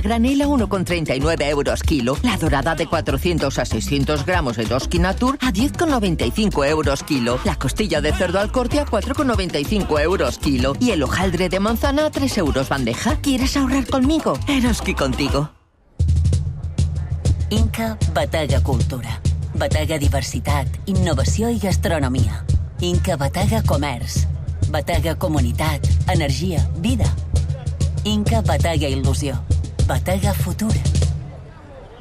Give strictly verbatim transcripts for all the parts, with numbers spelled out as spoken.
granel a uno con treinta y nueve euros kilo. La dorada de cuatrocientos a seiscientos gramos Eroski Natur a diez con noventa y cinco euros kilo. La costilla de cerdo al corte a cuatro con noventa y cinco euros kilo. Y el hojaldre de manzana a tres euros bandeja. ¿Quieres ahorrar conmigo? Eroski contigo. Inca Batega Cultura. Batega Diversitat, Innovació i Gastronomia. Inca Batega Comerç. Batega Comunitat, Energia, Vida. Inca Batega Il·lusió. Batega Futur.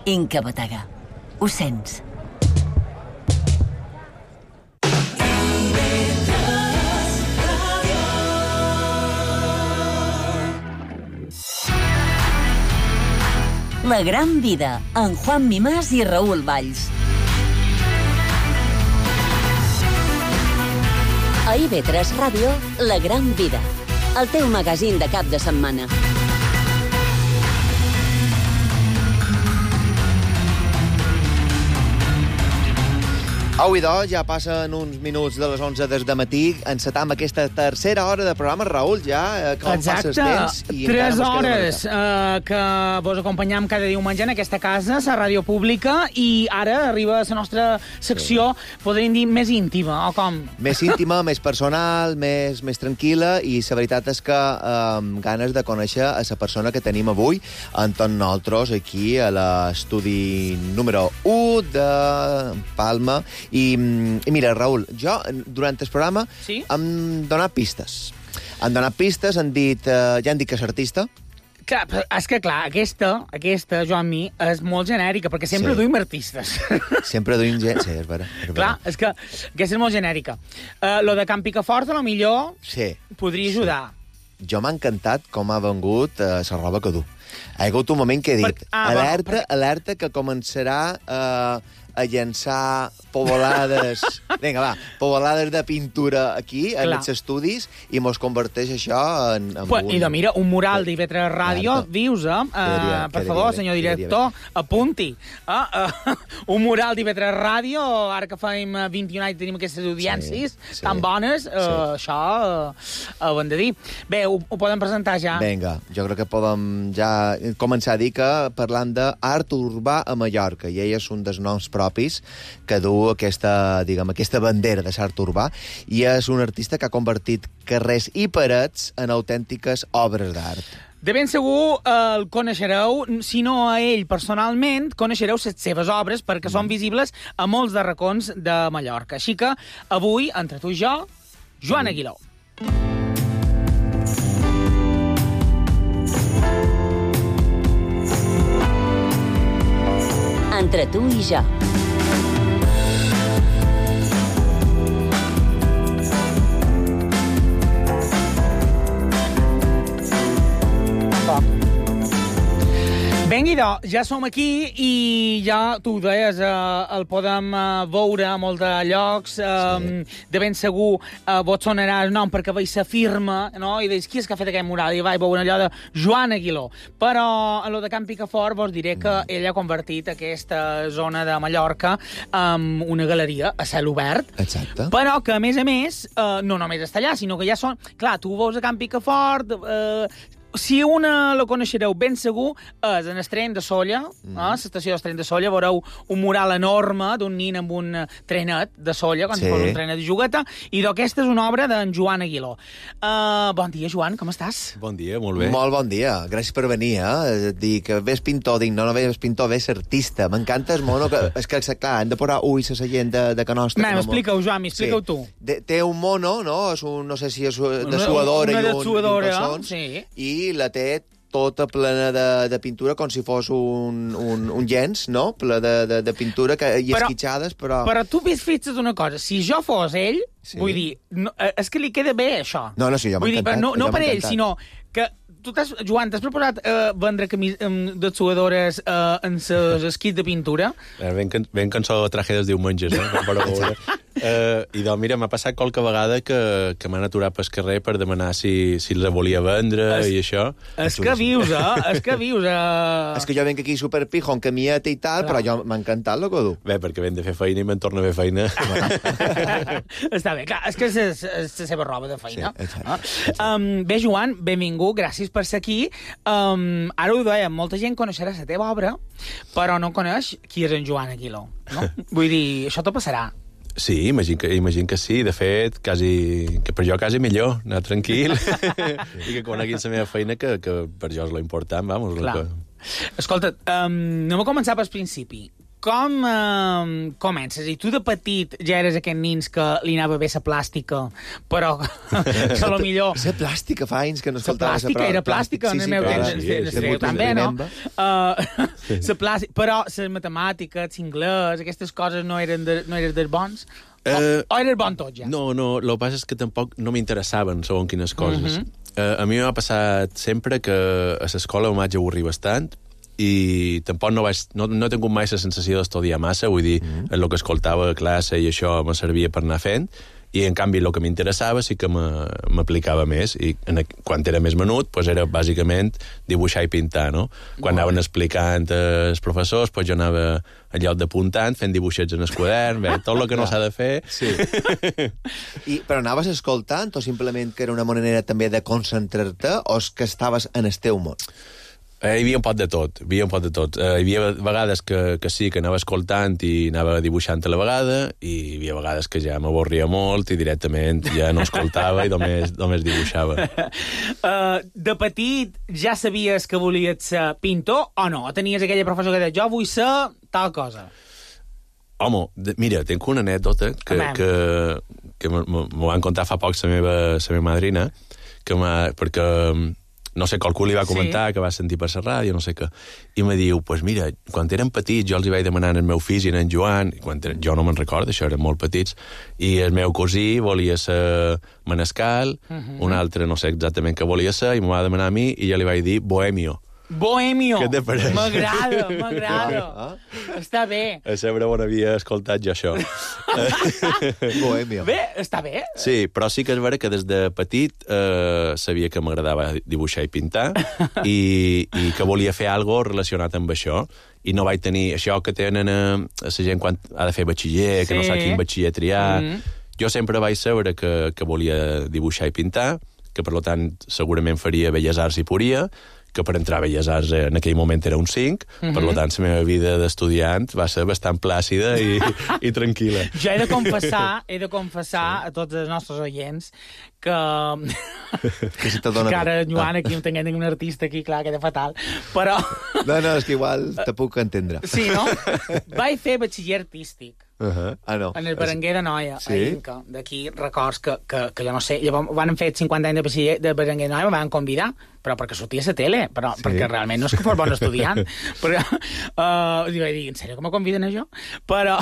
Inca Batega. Ho sents? La gran vida, amb Juan Mimàs i Raül Valls. A I V tres Ràdio, La gran vida. El teu magazín de cap de setmana. Avui, doncs, ja passen uns minuts de les onze des de matí. Encetam aquesta tercera hora de programa. Raül, ja, com Exacte. passes temps? I Tres hores eh, que vos acompanyam cada diumenge en aquesta casa, la ràdio pública, i ara arriba la nostra secció, sí. podríem dir, més íntima, o com? Més íntima, més personal, més, més tranquil·la, i la veritat és que amb eh, ganes de conèixer a la persona que tenim avui, amb tots nosaltres, aquí a l'estudi número u de Palma. I, i mira, Raül, jo, durant el programa, sí? hem donat pistes. Han donat pistes, han dit, eh, ja han dit que és artista. Clar, és que, clar, aquesta, aquesta, Joan Mi, és molt genèrica, perquè sempre sí. duim artistes. Sempre duim gent, sí, és vera. És vera. Clar, és que aquesta és molt genèrica. Uh, lo de Can Picafort, a lo millor, sí. podria ajudar. Sí. Jo m'ha encantat com ha vengut uh, la roba que du. Ha hagut un moment que he dit, per... ah, alerta, bueno, per... alerta que començarà uh, a llançar pobolades... Vinga, va, pobolades de pintura aquí, Clar. en els estudis, i mos converteix això en, en pues, un... I de, mira, un mural d'I V tres Ràdio, dius, eh? Quedaria, uh, per favor, bé, senyor director, apunti. Uh, uh, un mural d'I V tres Ràdio, ara que fem vint-i-un anys tenim aquestes audiències sí, sí, tan bones, uh, sí. això uh, ho hem de dir. Bé, ho, ho podem presentar ja. Vinga, jo crec que podem ja començar a dir que parlant d'art urbà a Mallorca, i ell és un dels noms propis que du aquesta, diguem, aquesta bandera de l'art urbà, i és un artista que ha convertit carrers i parets en autèntiques obres d'art. De ben segur eh, el coneixereu, si no a ell personalment, coneixereu les seves obres perquè mm. són visibles a molts de racons de Mallorca. Així que avui, entre tu i jo, Joan Aguiló. Entre tu i jo. Vinga, idò, ja som aquí i ja, tu ho deies, eh, el podem eh, veure a molts de llocs. Eh, sí. De ben segur eh, vos sonarà el nom perquè veig la firma, no? I deis, qui és que ha fet aquest mural? I vaig veure allò de Joan Aguiló. Però a lo de Can Picafort vos diré que mm. ell ha convertit aquesta zona de Mallorca en una galeria a cel obert. Exacte. Però que, a més a més, eh, no només està allà, sinó que ja són... Clar, tu veus a Can Picafort... Eh, Si una la coneixereu ben segur, és en Estren de Solla, mm. eh, l'estació d'Estren de Solla, veureu un mural enorme d'un nin amb un trenet de Solla, quan sí. fos un trenet de jugueta, i d'aquesta és una obra d'en Joan Aguiló. Uh, bon dia, Joan, com estàs? Bon dia, molt bé. Molt bon dia, gràcies per venir, eh? Dir que ves pintor, dic, no, no ves pintor, ves artista. M'encanta el mono, que, és que, clar, hem de posar ulls a la gent de, de que nostra. No, explica-ho, Joan, explica-ho sí. tu. De, té un mono, no? És un, no sé si és de suadora una, una i un, suadora, i un calçons, sí. i la té tota plena de, de pintura, com si fos un, un, un llenç, no? Ple de, de, de pintura que, i però, esquitxades, però... Però tu ves fixa't una cosa, si jo fos ell, sí. vull dir, no, és que li queda bé, això. No, no, sí, jo m'ha encantat. No, no per ell, sinó que tu t'has, Joan, t'has preparat uh, vendre camis um, de suadores uh, en ses esquits de pintura? Ben, ben cançó Traje dels diumenges, eh? Uh, I doncs, mira, m'ha passat qualque vegada que, que m'han aturat pel carrer per demanar si, si els volia vendre es, i això. És que vius, eh? És que vius, eh? És que jo venc aquí superpijo, en camieta i tal, clar. Però jo m'ha encantat el que du. Bé, perquè venc de fer feina i me'n torno a fer feina. Està bé, clar, és que és, és la seva roba de feina. Sí, exacte, no? exacte. Um, bé, Joan, benvingut, gràcies per ser aquí. Um, ara ho deia, molta gent coneixerà la teva obra, però no coneix qui és en Joan Aguiló. No? Vull dir, això t'ho passarà. Sí, imagino que, imagino que sí. De fet, quasi, que per jo quasi millor, anar tranquil i que coneguin la meva feina, que, que per jo és lo important, vamos. Clar. Que... Escolta, um, anem a començar pel principi. Com um, comences? I tu de petit ja eres aquest nins que li anava bé la plàstica, però que a lo millor... La plàstica, fa anys que no escoltava... La plàstica era plàstica, en el meu temps. Sí, sí, sí, també, no? Uh, plàstica, però les matemàtiques, l'anglès, aquestes coses no eren, de, no eren dels bons? O, uh, o eres bon tot, ja? No, no, el que passa és que tampoc no m'interessaven segons quines coses. Uh -huh. uh, a mi m'ha passat sempre que a l'escola em vaig avorrir bastant, i tampoc no, vaig, no, no he tingut mai la sensació d'estudiar massa, vull dir, mm. el que escoltava a classe i això me servia per anar fent, i en canvi el que m'interessava sí que m'aplicava més, i en, quan era més menut pues era bàsicament dibuixar i pintar, no? Quan Molt anaven bé. explicant els professors, pues jo anava al lloc d'apuntant, fent dibuixets en el quadern, bé, tot el que no s'ha de fer. Sí. I, però anaves escoltant o simplement que era una manera també de concentrar-te o és que estaves en el teu món? Eh, hi havia un pot de tot, hi havia un pot de tot. Eh, hi havia vegades que, que sí, que anava escoltant i anava dibuixant a la vegada, i hi havia vegades que ja m'avorria molt i directament ja no escoltava i només, només dibuixava. Uh, de petit ja sabies que volies ser pintor o no? O tenies aquella professor que deia, jo vull ser tal cosa? Home, de, mira, tinc una anècdota que, que, que m'ho van contar fa poc la meva, la meva madrina, que perquè... no sé, qualcú li va comentar sí. que va sentir per la ràdio, no sé què, i me diu, pues mira, quan eren petits jo els hi vaig demanar al meu fill i en Joan, i quan eren, jo no me'n recordo, això eren molt petits, i el meu cosí volia ser manescal, uh -huh. un altre no sé exactament què volia ser, i m'ho va demanar a mi, i jo li vaig dir Bohemio. Bohemio! Què te pareix? M'agrada, m'agrada. Ah, ah. Està bé. A sempre on havia escoltat jo això. Bohemio. Bé, està bé. Sí, però sí que és vera que des de petit eh, sabia que m'agradava dibuixar i pintar i, i que volia fer alguna cosa relacionat amb això. I no vaig tenir això que tenen a, a la gent quan ha de fer batxiller, sí. que no sap quin batxiller triar. Mm -hmm. Jo sempre vaig saber que, que volia dibuixar i pintar, que per tant segurament faria Belles Arts i podia, que per entrar a Belles Arts en aquell moment era un cinc, uh -huh. per tant la meva vida d'estudiant va ser bastant plàcida i, i tranquil·la. Jo he de confessar, he de confessar sí. a tots els nostres oients que... que si te dona... que ara, Joan, aquí no tinguem un artista aquí, clar, queda fatal, però... No, no, és que igual te puc entendre. Sí, no? Vaig fer batxiller artístic. Uh -huh. Ah, no. En el Berenguer de Noia, sí? a Inca. D'aquí records que, que, que jo no sé. Llavors van fer cinquanta anys de batxiller de Berenguer de Noia, me van convidar, però perquè sortia a la tele, però sí. perquè realment no és que fos bon estudiant. però, uh, i vaig dir, en sèrio que me conviden a jo? Però...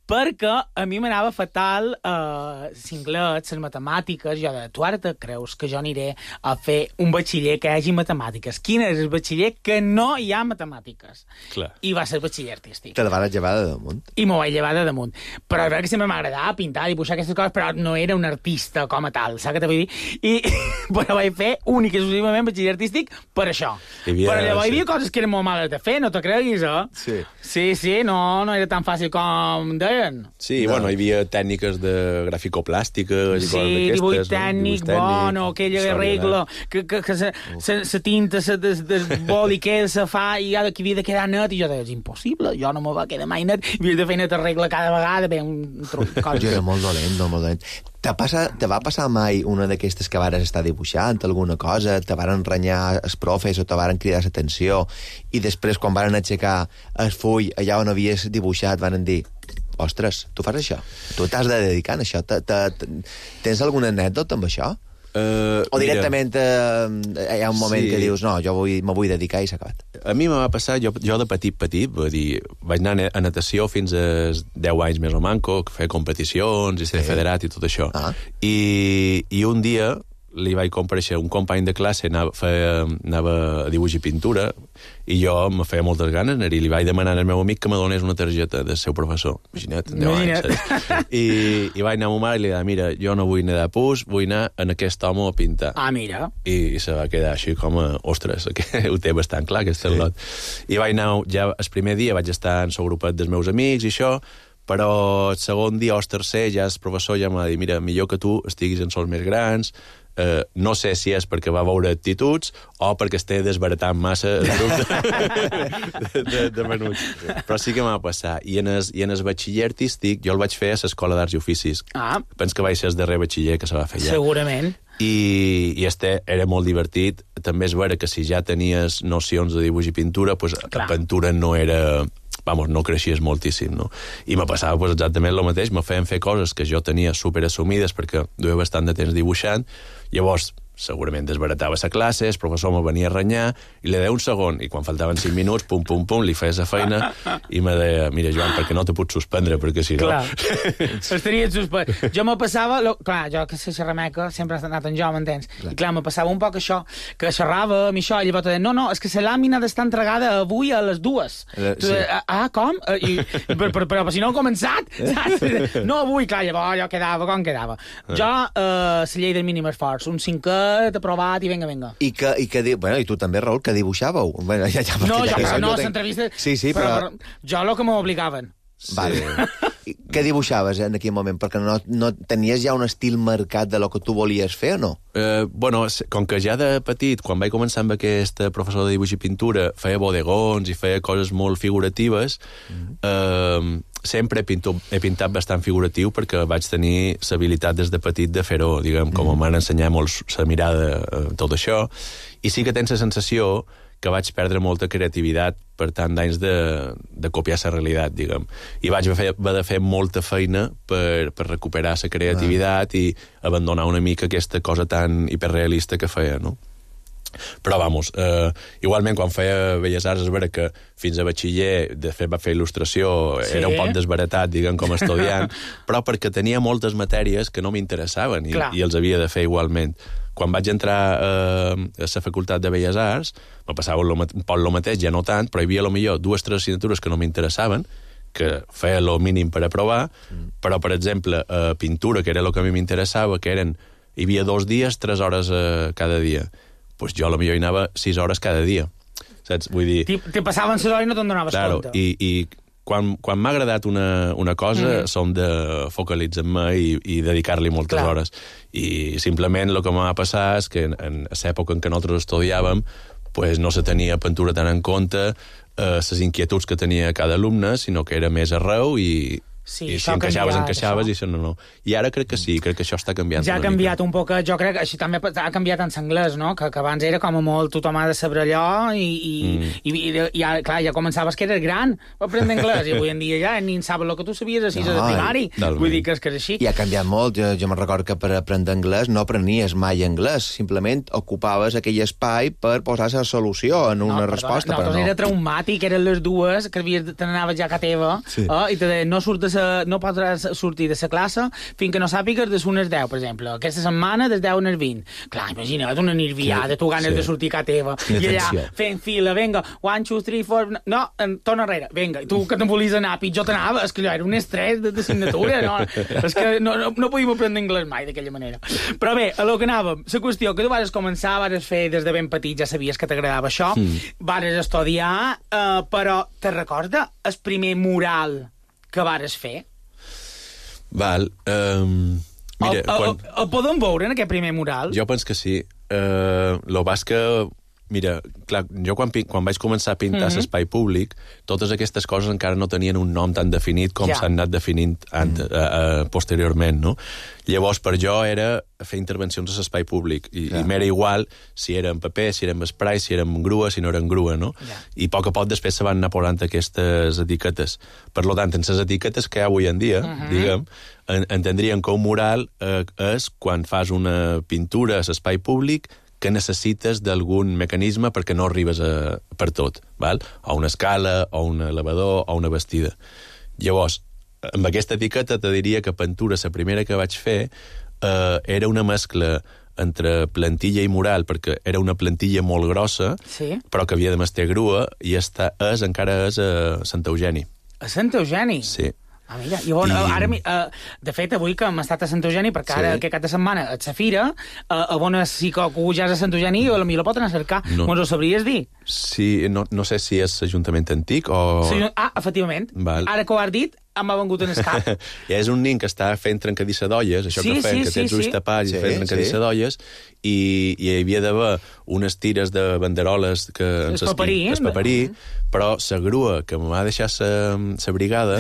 perquè a mi m'anava fatal eh, l'inglès, les matemàtiques, jo de, tu ara te creus que jo aniré a fer un batxiller que hi hagi matemàtiques? Quin és el batxiller que no hi ha matemàtiques? Clar. I va ser batxiller artístic. Te la vas llevar de damunt? I m'ho vaig llevar de damunt. Però és veritat que sempre m'agradava pintar, dibuixar aquestes coses, però no era un artista com a tal, saps què te vull dir? I però vaig fer únic i exclusivament batxiller artístic per això. Havia, però llavors sí. hi havia coses que eren molt males de fer, no te creguis, eh? Sí. Sí, sí, no, no era tan fàcil com deien. Sí, no. Bueno, hi havia tècniques de graficoplàstica, sí, dibuix tècnic, no? bueno, aquella regla, que, que, que la tinta del boli que se fa i que havia de quedar net, i jo deia, és impossible, jo no me va quedar mai net, havia de fer net regla cada vegada, bé, un truc. Jo era molt dolent, no, molt dolent. Te, passa, te va passar mai una d'aquestes que vares estar dibuixant, alguna cosa, te varen renyar els profes o te varen cridar l'atenció, i després, quan varen aixecar el full allà on havies dibuixat, varen dir, ostres, tu fas això? Tu t'has de dedicar a això? Te, te, te, tens alguna anècdota amb això? Uh, o directament uh, hi ha un moment sí. que dius, no, jo vull, me vull dedicar i s'ha acabat. A mi me va passar, jo, jo de petit, petit, vull dir, vaig anar a natació fins als deu anys més o manco, que feia competicions i ser sí. federat i tot això. Ah. I, I un dia li vaig comparèixer un company de classe, anava, feia, anava a dibuix i pintura, i jo me feia moltes ganes anar-hi, li vaig demanar al meu amic que me donés una targeta del seu professor. Imagina't, deu anys. I, I vaig anar a ma mare i li vaig dir, mira, jo no vull anar de pus, vull anar en aquest home a pintar. Ah, mira. I, i se va quedar així com a, ostres, que ho té bastant clar, aquest sí. lot. I vaig anar, ja el primer dia vaig estar en el grupet dels meus amics i això, però el segon dia o el tercer ja el professor ja m'ha dit, mira, millor que tu estiguis en sols més grans, Uh, no sé si és perquè va veure actituds o perquè esté desbaratant massa el grup de, de, de menuts. Però sí que m'ha passat. I en el, i en el batxiller artístic jo el vaig fer a l'Escola d'Arts i Oficis. Ah. Penso que vaig ser el darrer batxiller que se va fer allà. Segurament. I, i este era molt divertit. També és vera que si ja tenies nocions de dibuix i pintura, pues, la pintura no era... Vamos, no creixies moltíssim, no? I me passava pues, exactament el mateix, me feien fer coses que jo tenia superassumides perquè duia bastant de temps dibuixant, llavors segurament desbaratava la classe, el professor me venia a renyar, i li deia un segon, i quan faltaven cinc minuts, pum, pum, pum, li feia la feina, i me deia, mira, Joan, perquè no te puc suspendre, perquè si no... Clar, estaria suspès. Jo me passava... Lo... Clar, jo que sé xerrameca, sempre he anat en jo, m'entens? Clar. I clar, me passava un poc això, que xerrava amb això, i llavors deia, no, no, és que la làmina ha d'estar entregada avui a les dues. Eh, sí. Tu, ah, com? I, i, però, però, però si no he començat, saps? No avui, clar, llavors jo quedava, com quedava? Jo, eh, la llei del mínim esforç, un cinquè, t'he provat i vinga, vinga. I que, i que bueno, i tu també, Raül, que dibuixàveu. Bueno, ja, ja, no, jo, ja, no, tenc... s'entrevistes... Sí, sí, però... però... Jo el que m'obligaven. Sí. Vale. Què dibuixaves en aquell moment? Perquè no, no tenies ja un estil marcat de lo que tu volies fer, o no? Eh, bueno, com que ja de petit, quan vaig començar amb aquest professor de dibuix i pintura, feia bodegons i feia coses molt figuratives, mm-hmm. eh, sempre he, pinto, he pintat bastant figuratiu perquè vaig tenir l'habilitat des de petit de fer-ho, diguem, com mm. m'han ensenyat molt la mirada, eh, tot això, i sí que tens la sensació que vaig perdre molta creativitat per tant d'anys de, de copiar la realitat, diguem. I vaig haver de fer molta feina per, per recuperar la creativitat ah. i abandonar una mica aquesta cosa tan hiperrealista que feia, no? Però, vamos, eh, igualment, quan feia Belles Arts, és vera que fins a batxiller, de fet, va fer il·lustració, sí. era un poc desbaratat, diguem, com a estudiant, però perquè tenia moltes matèries que no m'interessaven i, i els havia de fer igualment. Quan vaig entrar eh, a la Facultat de Belles Arts, me passava un poc el mateix, ja no tant, però hi havia, potser, dues o tres assignatures que no m'interessaven, que feia el mínim per aprovar, mm. però, per exemple, eh, pintura, que era el que a mi m'interessava, que eren, hi havia dos dies, tres hores eh, cada dia. Pues jo potser hi anava sis hores cada dia, saps? Vull dir... Te passaven l'hora i no te'n donaves claro, compte. I, i quan, quan m'ha agradat una, una cosa, mm. som de focalitzar-me i, i dedicar-li moltes Clar. hores. I simplement el que m'ha passat és que en, en l'època en què nosaltres estudiàvem pues, no se tenia pintura tan en compte eh, les inquietuds que tenia cada alumne, sinó que era més arreu i... Sí, I si encaixaves, canviat, encaixaves, això. I això no, no. I ara crec que sí, crec que això està canviant. Ja ha canviat mica. un poc, jo crec que així també ha canviat en l'anglès, no? Que, que abans era com a molt tothom ha de saber allò i, i, mm. i, i, i ja, clar, ja començaves que eres gran per aprendre anglès i avui en dia ja ni en saben el que tu sabies a sisè no, de primari. Talment. Vull dir que és que és així. I ha canviat molt. Jo, jo me'n recordo que per aprendre anglès no aprenies mai anglès, simplement ocupaves aquell espai per posar la solució en una no, resposta. No, però no. Era traumàtic, eren les dues, que te n'anaves ja a casa teva sí. eh, i te deien, no surt de sa, no podràs sortir de la classe fins que no sàpigues de unes deu, per exemple. Aquesta setmana des deu a les vint. Clar, imagina't una nerviada, tu ganes sí. de sortir a casa teva. I allà, fent fila, venga, one, two, three, four... No, torna enrere, venga. Tu que te'n volies anar, pitjor t'anava. És que allò era un estrès d'assignatura, no? És que no, no, no podíem aprendre anglès mai d'aquella manera. Però bé, a lo que anàvem, la qüestió que tu vas començar, vas fer des de ben petit, ja sabies que t'agradava això, mm. vas estudiar, eh, però te recorda el primer mural que vas fer? Val. Um, mira, el, el, quan... el podem veure en aquest primer mural? Jo penso que sí. Uh, lo vas que... Mira, clar, jo quan, quan vaig començar a pintar mm-hmm. l'espai públic, totes aquestes coses encara no tenien un nom tan definit com ja. s'han anat definint ant, mm. uh, uh, posteriorment, no? Llavors, per jo era fer intervencions a l'espai públic, i, ja. i m'era igual si era en paper, si era en spray, si era en grua, si no era en grua, no? Ja. I a poc a poc després se van anar posant aquestes etiquetes. Per tant, en les etiquetes que hi ha avui en dia, mm-hmm. diguem, en, entendríem que un mural eh, és quan fas una pintura a l'espai públic que necessites d'algun mecanisme perquè no arribes a, per tot, val? O una escala, o un elevador, o una bastida. Llavors, amb aquesta etiqueta te diria que pintura, la primera que vaig fer, eh, era una mescla entre plantilla i mural, perquè era una plantilla molt grossa, sí. però que havia de mestre grua, i està, és, encara és a Sant Eugeni. A Sant Eugeni? Sí. Ah, mira, i on, I... ara, uh, de fet, avui que hem estat a Sant Eugeni, perquè ara, sí. aquest cap de setmana, et sa fira, uh, a on si que algú ja és a Sant Eugeni, o potser la pot anar a cercar. No. Mos ho sabries dir? Sí, no, no sé si és Ajuntament Antic o... Sí, ah, efectivament. Val. Ara que ho has dit, m'ha vengut en el cap. Ja és un nin que està fent trencadissa d'olles, això sí, que fem, sí, que tens sí, ulls sí. tapats i sí, fent trencadissa sí. d'olles, i, i hi havia d'haver unes tires de banderoles que ens paperí, es paperí, però la grua que m'ha deixat la brigada,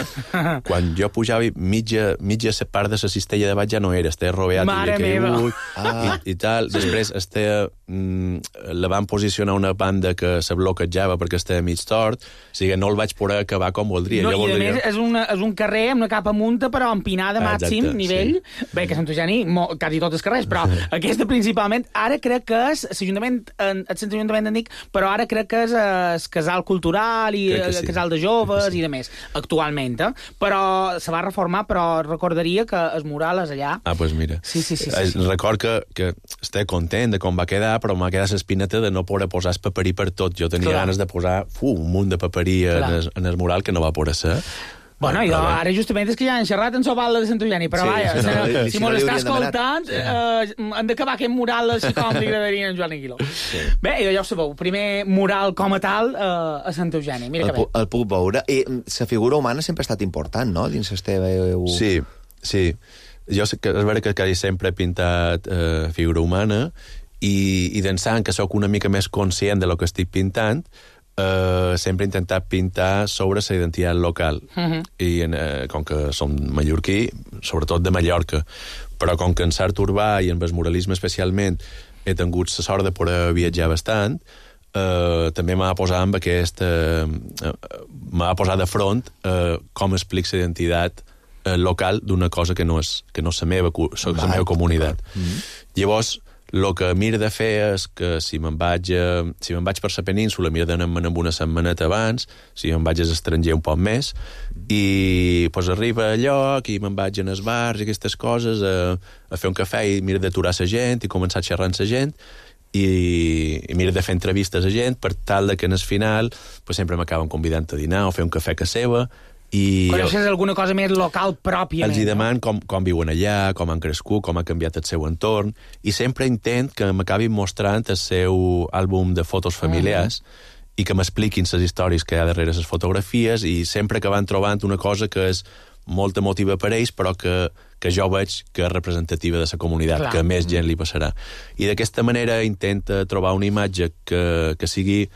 quan jo pujava mitja, mitja part de la cistella de baix ja no era, estava roveat Mare meva. Ah. I, i tal. Després estava, mm, la van posicionar una banda que se bloquejava perquè estava mig tort, o sigui, no el vaig poder acabar com voldria. No, jo i a voldria... més és, una, és un carrer amb una capa munta, però empinada màxim, Exacte, nivell. Sí. Bé, que Sant Eugeni, mo, quasi tots els carrers, però aquesta principalment, ara crec que és l'Ajuntament, el Sant Ajuntament Antic, però ara crec que és el casal cultural i el sí. casal de joves sí. i de més, actualment, eh? Però se va reformar, però recordaria que el mural és allà. Ah, doncs pues mira. Sí, sí, sí, sí, sí. Record que, que estic content de com va quedar, però m'ha quedat l'espineta de no poder posar el paperí per tot. Jo tenia Clar. ganes de posar fu, un munt de paperí en el, en el mural que no va poder ser. Bueno, jo, ara justament és que ja han xerrat en Soval de Sant Eugeni, però sí, vaja, no, no, si, si mos no està escoltant, sí. eh, hem d'acabar aquest mural així com li agradaria a en Joan Aguiló. Sí. Bé, ja ho sabeu, primer mural com a tal eh, a Sant Eugeni. Mira el, que bé. El puc veure. I la figura humana sempre ha estat important, no?, dins el teu... Sí, sí. Jo sé que és vera que quasi sempre he pintat eh, figura humana i, i d'ençà que sóc una mica més conscient de lo que estic pintant, Uh, sempre he intentat pintar sobre la identitat local. Uh-huh. I en, uh, com que som mallorquí, sobretot de Mallorca, però com que en l'art urbà i en el muralisme especialment he tingut la sort de poder viatjar bastant, uh, també m'ha posat amb aquest... Uh, uh, m'ha posat de front uh, com explic la identitat uh, local d'una cosa que no és, que no és la meva, la meva comunitat. Uh-huh. Llavors, el que miro de fer és que si me'n vaig, si me'n vaig per la península, miro d'anar-me'n amb una setmaneta abans, si me'n vaig a l'estranger un poc més, i pues, arriba a lloc i me'n vaig en els bars i aquestes coses a, a fer un cafè i miro d'aturar la gent i començar a xerrar amb la gent i, i miro de fer entrevistes a gent per tal de que en el final pues, sempre m'acaben convidant a dinar o fer un cafè a casa seva. I coneixes alguna cosa més local pròpiament. Els hi deman com, com viuen allà, com han crescut, com ha canviat el seu entorn, i sempre intent que m'acabin mostrant el seu àlbum de fotos familiars uh-huh. i que m'expliquin les històries que hi ha darrere les fotografies i sempre que van trobant una cosa que és molt emotiva per ells, però que, que jo veig que és representativa de la comunitat, Clar. que més gent li passarà. I d'aquesta manera intenta trobar una imatge que, que sigui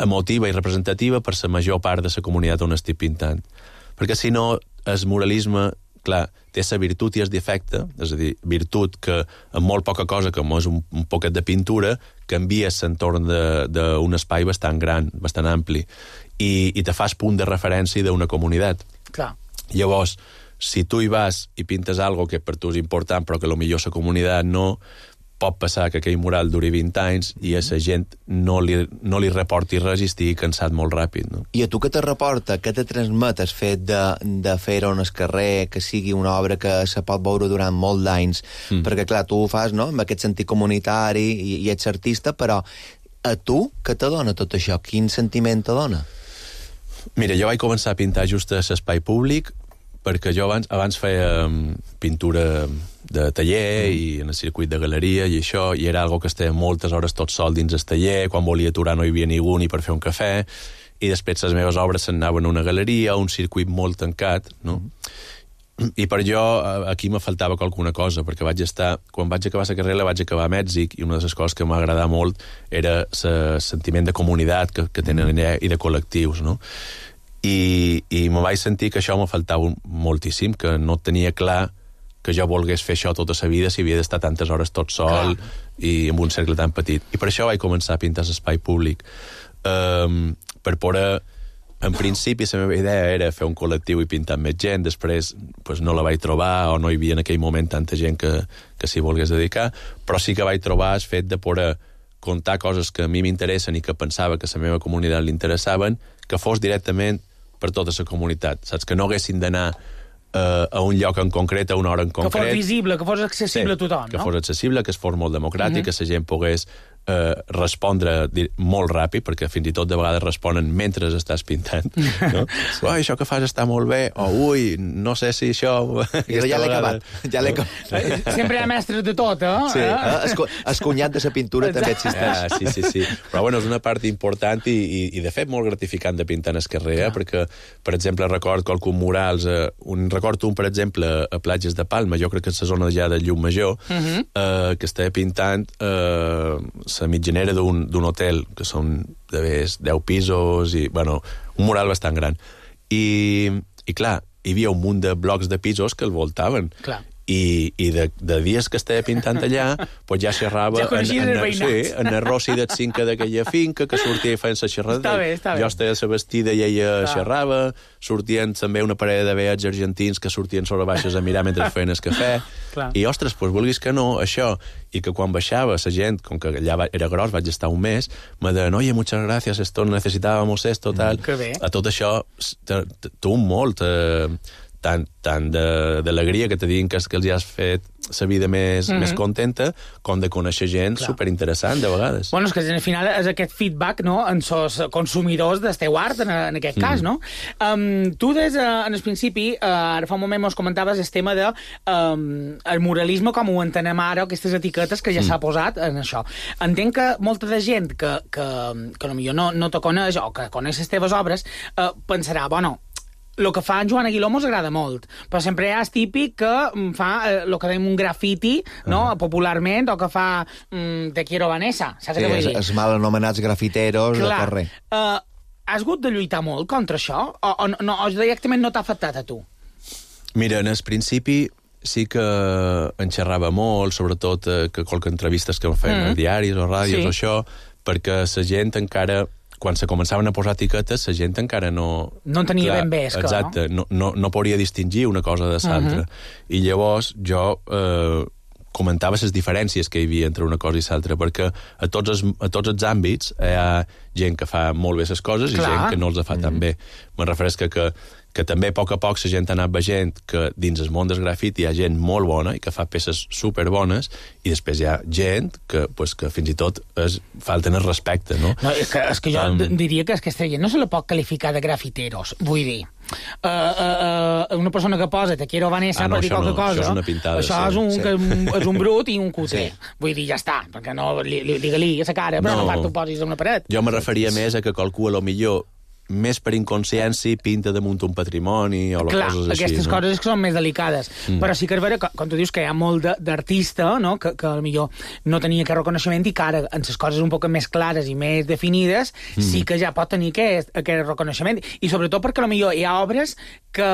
emotiva i representativa per la major part de la comunitat on estic pintant. Perquè si no, el muralisme, clar, té la virtut i el defecte, és a dir, virtut que amb molt poca cosa, com és un, un poquet de pintura, canvies l'entorn d'un espai bastant gran, bastant ampli, i, i te fas punt de referència d'una comunitat. Clar. Llavors, si tu hi vas i pintes algo que per tu és important, però que potser la comunitat no, pot passar que aquell mural duri vint anys i a la gent no li, no li reporti res i estigui cansat molt ràpid. No? I a tu què te reporta, què te transmet el fet de, de fer-ho en el carrer, que sigui una obra que se pot veure durant molt d'anys? Mm. Perquè, clar, tu ho fas, no?, amb aquest sentit comunitari i, i ets artista, però a tu què te dona tot això? Quin sentiment te dona? Mira, jo vaig començar a pintar just a l'espai públic perquè jo abans, abans feia pintura de taller mm. i en el circuit de galeria i això, i era algo que estava moltes hores tot sol dins el taller, quan volia aturar no hi havia ningú ni per fer un cafè, i després les meves obres s'anaven a una galeria, a un circuit molt tancat, no? Mm. I per jo aquí me faltava alguna cosa, perquè vaig estar, quan vaig acabar la carrera vaig acabar a Mèxic, i una de les coses que m'agradava molt era el sentiment de comunitat que, que tenen allà i de col·lectius, no? I, i me vaig sentir que això me faltava moltíssim, que no tenia clar que jo volgués fer això tota la vida si havia d'estar tantes hores tot sol Clar. i amb un cercle tan petit. I per això vaig començar a pintar l'espai públic. Um, per poder... En principi, la meva idea era fer un col·lectiu i pintar més gent, després pues, no la vaig trobar o no hi havia en aquell moment tanta gent que, que s'hi volgués dedicar, però sí que vaig trobar el fet de poder contar coses que a mi m'interessen i que pensava que a la meva comunitat li interessaven, que fos directament per tota la comunitat, saps? Que no haguessin d'anar Uh, a un lloc en concret, a una hora en concret. Que fos visible, que fos accessible sí, a tothom, que no? Que fos accessible, que es fos molt democràtic, uh-huh. que la gent pogués uh, respondre molt ràpid, perquè fins i tot de vegades responen mentre estàs pintant. No? Ui, això que fas està molt bé, o ui, no sé si això... Jo ja l'he acabat. Ja l'he acabat. Sempre hi ha mestres de tot, eh? Sí, eh? Es cunyat de la pintura Exacte. També existeix. Ah, sí, sí, sí. Però bueno, és una part important i, i, i de fet molt gratificant de pintar en el carrer, eh? Perquè, per exemple, record qualcun murals, eh, un recordo un, per exemple, a Platges de Palma, jo crec que és la zona ja de Llucmajor, uh-huh. eh, que estava pintant eh, la mitjanera d'un hotel, que són de més deu pisos, i, bueno, un mural bastant gran. I, i clar, hi havia un munt de blocs de pisos que el voltaven. Clar. I, i de, de dies que estava pintant allà, pues ja xerrava ja en, en, en, sí, en el Rossi del cinca d'aquella finca, que sortia fent la xerrada. Està bé, està bé. Jo estava a la vestida i ella Clar. xerrava, sortien també una parella de veats argentins que sortien sobre baixes a mirar mentre feien el cafè. Clar. I, ostres, pues, vulguis que no, això, i que quan baixava la gent, com que allà era gros, vaig estar un mes, me deien, oye, muchas gracias, esto necesitábamos esto, tal. Mm, a tot això, tu molt... Eh, tant, tant d'alegria que te diguin que, que els has fet la vida més, mm-hmm. més contenta, com de conèixer gent Clar. superinteressant, de vegades. Bueno, és que al final és aquest feedback, no?, en els consumidors del teu art, en, en aquest mm. cas, no? Um, tu, des, uh, en el principi, uh, ara fa un moment mos comentaves el tema de um, el muralisme, com ho entenem ara, aquestes etiquetes que ja mm. s'ha posat en això. Entenc que molta de gent que, que, que potser no, no te coneix, o que coneix les teves obres, uh, pensarà, bueno, el que fa en Joan Aguiló mos agrada molt, però sempre hi ha el típic que fa el que dèiem un grafiti, no? Uh -huh. popularment, o que fa mm, Te quiero Vanessa, saps sí, què vull dir? Els mal anomenats grafiteros Clar. de carrer. Uh, has hagut de lluitar molt contra això? O, o, no, o directament no t'ha afectat a tu? Mira, en el principi sí que en xerrava molt, sobretot eh, que qualque entrevistes que em feien mm. a diaris o ràdios sí. o això, perquè la gent encara... quan se començaven a posar etiquetes, la gent encara no... No en tenia clar, ben bé, és que, exacte, no? no, no, no podria distingir una cosa de l'altra. Uh -huh. I llavors jo eh, comentava les diferències que hi havia entre una cosa i l'altra, perquè a tots, els, a tots els àmbits hi ha gent que fa molt bé les coses clar. i gent que no els fa uh -huh. tan bé. Me refereix que, que que també a poc a poc la gent ha anat veient que dins el món del grafiti hi ha gent molt bona i que fa peces superbones, i després hi ha gent que, pues, que fins i tot es, falten el respecte, no? No, és que, és que jo um, diria que aquesta gent no se la pot qualificar de grafiteros, vull dir. Uh, uh, uh, una persona que posa Te quiero Vanessa ah, no, per dir qualque no, cosa, això és una pintada, això sí, és, un, sí. que, és un brut i un cuter. Sí. Vull dir, ja està, perquè no digue-li a la cara, però no, no part ho posis a una paret. Jo me referia més a que qualcú a lo millor més per inconsciència pinta damunt un patrimoni o Clar, coses així. aquestes no? coses que són més delicades. Mm. Però sí que és vera, quan tu dius que hi ha molt d'artista, no? que, que potser no tenia aquest reconeixement i que ara, en les coses un poc més clares i més definides, mm. sí que ja pot tenir aquest, aquest reconeixement. I sobretot perquè potser hi ha obres que...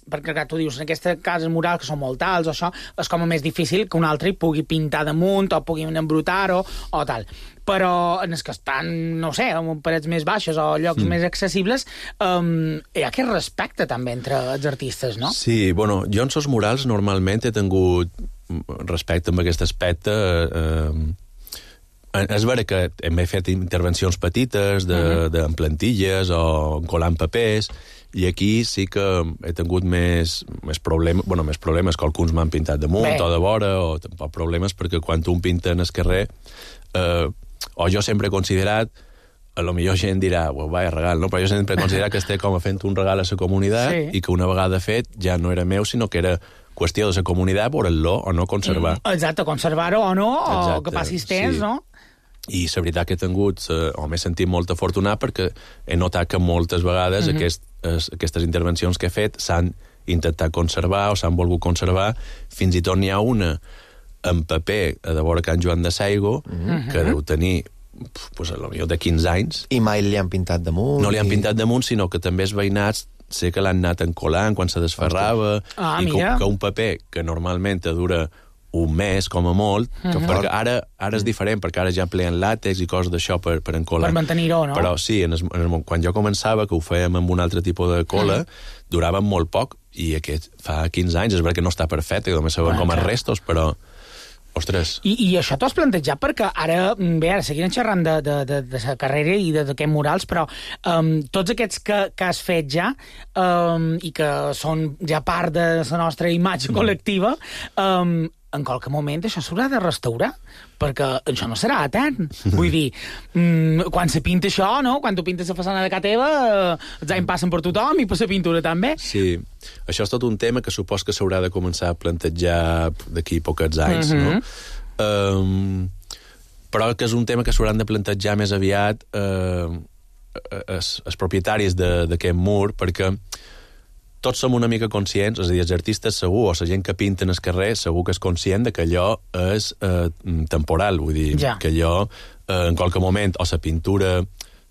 Perquè clar, tu dius, en aquestes cases murals que són molt alts, o això, és com a més difícil que un altre hi pugui pintar damunt o pugui embrutar-ho o tal. Però en els que estan, no sé, en parets més baixes o llocs mm. més accessibles, um, hi ha aquest respecte també entre els artistes, no? Sí, bueno, jo en els murals normalment he tingut respecte amb aquest aspecte. Eh, eh, és vera que hem fet intervencions petites de, uh-huh. de, en plantilles o colant papers, i aquí sí que he tingut més, més problemes, bueno, més problemes que alguns m'han pintat damunt Bé. o de vora, o tampoc problemes, perquè quan un pinta en el carrer... Eh, o jo sempre he considerat, a lo millor gent dirà, well, vaya regal, no? Però jo sempre he considerat que estic com a fent un regal a la comunitat sí. i que una vegada fet ja no era meu, sinó que era qüestió de la comunitat voler-lo o no conservar. Mm, exacte, conservar-ho o no, exacte, o que passis temps, sí. no? I la veritat que he tingut, eh, o m'he sentit molt afortunat perquè he notat que moltes vegades mm-hmm. aquest, es, aquestes intervencions que he fet s'han intentat conservar o s'han volgut conservar, fins i tot n'hi ha una en paper a de vora Can Joan de Saigo, mm-hmm. que deu tenir pues, a lo millor de quinze anys. I mai li han pintat damunt? No li han i... pintat damunt, sinó que també els veïnats sé que l'han anat encolant quan se desferrava, ah, i que, que un paper que normalment dura un mes, com a molt, mm-hmm. perquè ara, ara és diferent, perquè ara ja empleen làtex i coses d'això per, per encolar. Per mantenir-ho, no? Però sí, en el, en el, quan jo començava, que ho fèiem amb un altre tipus de cola, mm. durava molt poc, i aquest fa quinze anys, és veritat que no està perfecte, que només se veuen com a restos, però... Ostres. I, i això t'ho has plantejat perquè ara, bé, ara seguim xerrant de, de, de, de la carrera i de, d'aquests murals, però um, tots aquests que, que has fet ja um, i que són ja part de la nostra imatge col·lectiva, um, en qualque moment això s'haurà de restaurar, perquè això no serà etern. Vull dir, mmm, quan se pinta això, no? Quan tu pintes la façana de casa teva, eh, els anys passen per tothom i per la pintura també. Sí, això és tot un tema que supos que s'haurà de començar a plantejar d'aquí pocs anys, Mhm. no? Um, però que és un tema que s'hauran de plantejar més aviat eh, els, els propietaris de- d'aquest mur, perquè tots som una mica conscients, és a dir, els artistes segur, o la gent que pinta en el carrer, segur que és conscient de que allò és eh, temporal, vull dir, Ja. que allò, eh, en qualque moment, o la pintura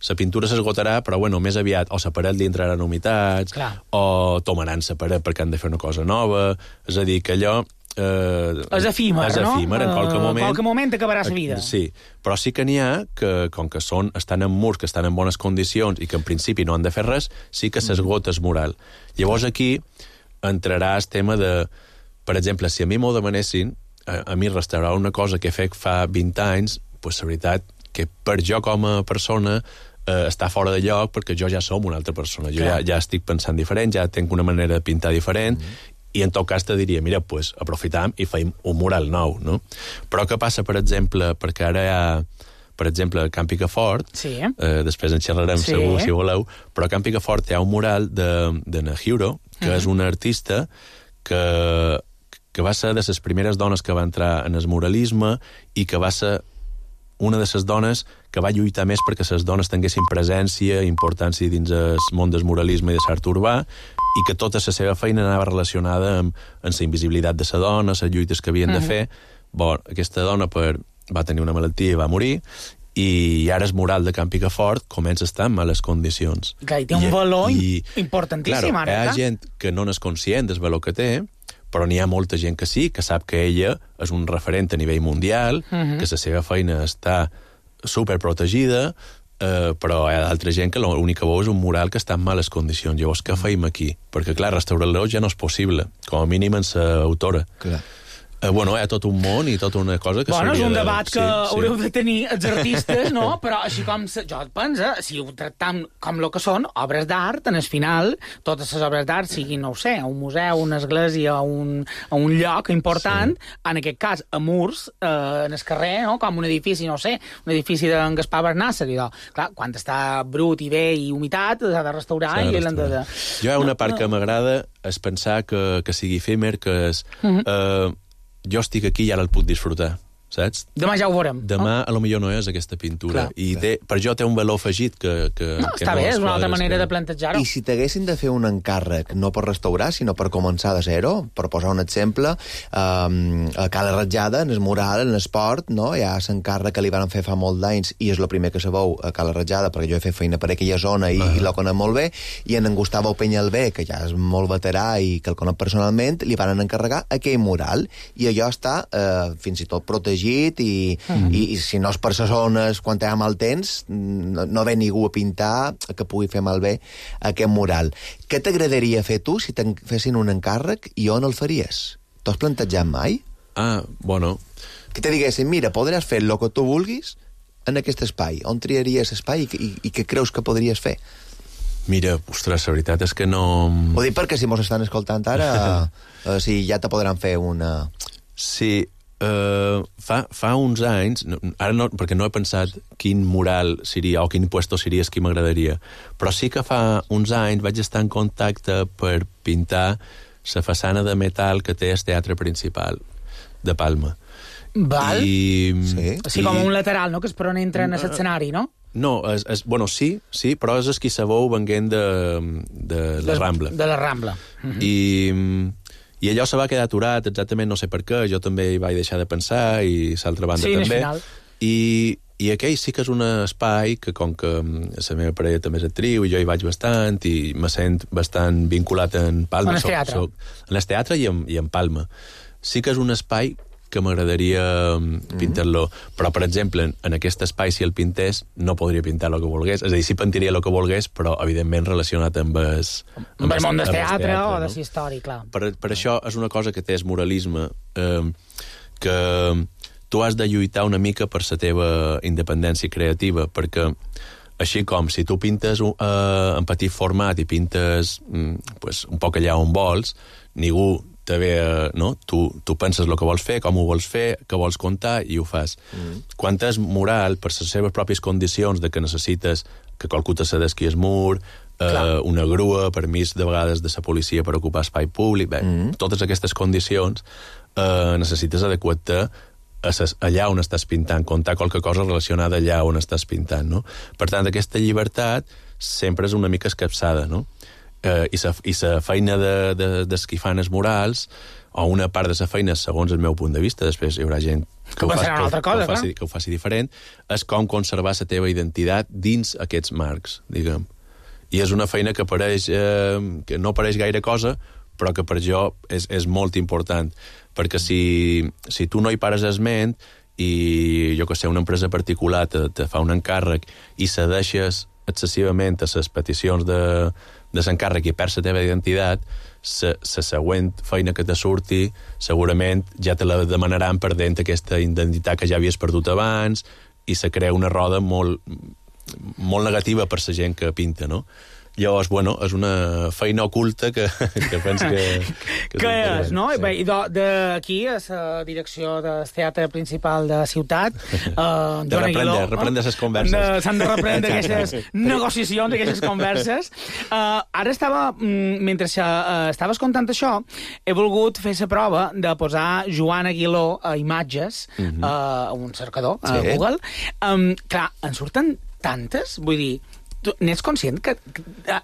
la pintura s'esgotarà, però bueno, més aviat o la paret li entraran humitats, Clar. o tomaran la paret perquè han de fer una cosa nova, és a dir, que allò... Eh, És efímer, és no? efímer, en qualque Eh, moment... En qualque moment acabarà la vida. Sí, però sí que n'hi ha que, com que són, estan en murs, que estan en bones condicions i que en principi no han de fer res, sí que s'esgota el mural. Llavors aquí entrarà el tema de... Per exemple, si a mi m'ho demanessin, a, a mi restaurar una cosa que he fet fa vint anys, pues, la veritat que per jo com a persona eh, està fora de lloc perquè jo ja som una altra persona. Jo ja, ja estic pensant diferent, ja tinc una manera de pintar diferent, mm. i en tot cas te diria, mira, pues, aprofitam i feim un mural nou, no? Però què passa, per exemple, perquè ara hi ha, per exemple, a Can Picafort, Sí. eh, després en xerrarem Sí. segur, si voleu, però a Can Picafort hi ha un mural de, de Nahiro, que Mhm. és una artista que, que va ser de les primeres dones que va entrar en el muralisme i que va ser una de les dones que va lluitar més perquè les dones tinguessin presència, importància dins el món del muralisme i de l'art urbà, i que tota la seva feina anava relacionada amb, amb la invisibilitat de la dona, les lluites que havien uh -huh. de fer. Bon, aquesta dona per, va tenir una malaltia i va morir, i ara el mural de Can Picafort comença a estar en males condicions. Clar, i té un valor importantíssim, claro, ara, hi ha clar. gent que no n'és conscient del valor que té, però n'hi ha molta gent que sí, que sap que ella és un referent a nivell mundial, uh -huh. que la seva feina està superprotegida, eh, però hi ha d'altra gent que l'únic que veu és un mural que està en males condicions. Llavors, què feim aquí? Perquè, clar, restaurar-lo ja no és possible, com a mínim en l'autora. Clar. Eh, bueno, hi ha tot un món i tota una cosa que Bueno, és s'hauria un de... debat que Sí, sí. haureu de tenir els artistes, no? Però així com se, jo et penso, si ho tractam com el que són, obres d'art, en el final, totes les obres d'art siguin, no ho sé, un museu, una església, un, un lloc important, sí. En aquest cas, a murs, eh, en el carrer, no? Com un edifici, no ho sé, un edifici d'en Gaspar Bernassa, i doncs, clar, quan està brut i bé i humitat, s'ha de restaurar S'ha de i l'han de... restaurar. Jo hi ha una part que m'agrada és pensar que, que sigui efímer, que és... Mhm. eh, jo estic aquí i ara el puc disfrutar, saps? Demà ja ho veurem. Demà, a lo millor no és aquesta pintura. Clar, I clar. té, per jo té un valor afegit que... que No, que està bé, les és una altra quadres manera que... de plantejar-ho. I si t'haguessin de fer un encàrrec, no per restaurar, sinó per començar de zero, per posar un exemple, eh, a Cala Ratjada, en el mural, en l'esport, no? Hi ha l'encàrrec que li van fer fa molt d'anys, i és el primer que se veu a Cala Ratjada, perquè jo he fet feina per aquella zona i, uh -huh. i la conec molt bé, i en en Gustavo Peñalbé, que ja és molt veterà i que el conec personalment, li van encarregar aquell mural, i allò està eh, fins i tot protegit, i, uh -huh. i, i si no és per les zones, quan hi ha mal temps, no, no ve ningú a pintar que pugui fer malbé aquest mural. Què t'agradaria fer tu si te'n fessin un encàrrec i on el faries? T'ho has plantejat mai? Ah, bueno... Que te diguessin, mira, podràs fer el que tu vulguis en aquest espai. On triaries espai i, i, i què creus que podries fer? Mira, ostres, la veritat és que no... Ho dic perquè si mos estan escoltant ara, eh, si ja te podran fer una... Sí, uh, fa, fa uns anys, no, ara no, perquè no he pensat quin mural seria o quin puesto seria el que m'agradaria, però sí que fa uns anys vaig estar en contacte per pintar la façana de metal que té el teatre principal de Palma. Val. I, Sí. O sigui, com un lateral, no?, que és per on entren a l'escenari, no? No, és, és, bueno, sí, sí, però és el qui sabeu venguent de, de la Des- Rambla. De la Rambla. I, I allò se va quedar aturat, exactament no sé per què, jo també hi vaig deixar de pensar, i l'altra banda Sí, al també. final. I, I aquell sí que és un espai que, com que la meva parella també és actriu, i jo hi vaig bastant, i me sent bastant vinculat en Palma. En el teatre. Soc, en el teatre i en, i en Palma. Sí que és un espai que m'agradaria pintar-lo. Però, per exemple, en, en aquest espai, si el pintés, no podria pintar el que volgués. És a dir, sí pintaria el que volgués, però, evidentment, relacionat amb el... Amb el món del amb el teatre o de no? la història, clar. Per, per això és una cosa que té el muralisme, eh, que tu has de lluitar una mica per la teva independència creativa, perquè així com si tu pintes uh, en petit format i pintes mm, pues, un poc allà on vols, ningú te ve, uh, no? Tu, tu penses el que vols fer, com ho vols fer, què vols contar i ho fas. Mm. Quan és mural, per les seves pròpies condicions de que necessites que qualcú te cedesqui el mur, uh, una grua, permís de vegades de la policia per ocupar espai públic, bé, mm. totes aquestes condicions uh, necessites adequar-te allà on estàs pintant, contar qualque cosa relacionada allà on estàs pintant, no? Per tant, aquesta llibertat sempre és una mica escapçada, no? Eh, I la i sa feina de, de, dels qui fan els murals, o una part de la feina, segons el meu punt de vista, després hi haurà gent que, ho, faci, que, ho, cosa, que, ho, faci, que ho faci diferent, és com conservar la teva identitat dins aquests marcs, diguem. I és una feina que apareix, eh, que no apareix gaire cosa, però que per jo és, és molt important, perquè si, si tu no hi pares esment i, jo que sé, una empresa particular te, te fa un encàrrec i cedeixes excessivament a les peticions de, de l'encàrrec i perds la teva identitat, la següent feina que te surti segurament ja te la demanaran perdent aquesta identitat que ja havies perdut abans i se crea una roda molt, molt negativa per la gent que pinta, no? Llavors, bueno, és una feina oculta que, que penso que... Que, que és, no? Sí. Bé, i d'aquí, a la direcció del teatre principal de la ciutat, eh, de reprendre, reprendre les converses. S'han de reprendre aquestes negociacions, aquestes converses. Uh, ara estava, mentre uh, estaves contant això, he volgut fer la prova de posar Joan Aguiló a imatges, uh-huh. uh, un cercador, a sí. Google. Um, clar, en surten tantes, vull dir... Tu n'ets conscient que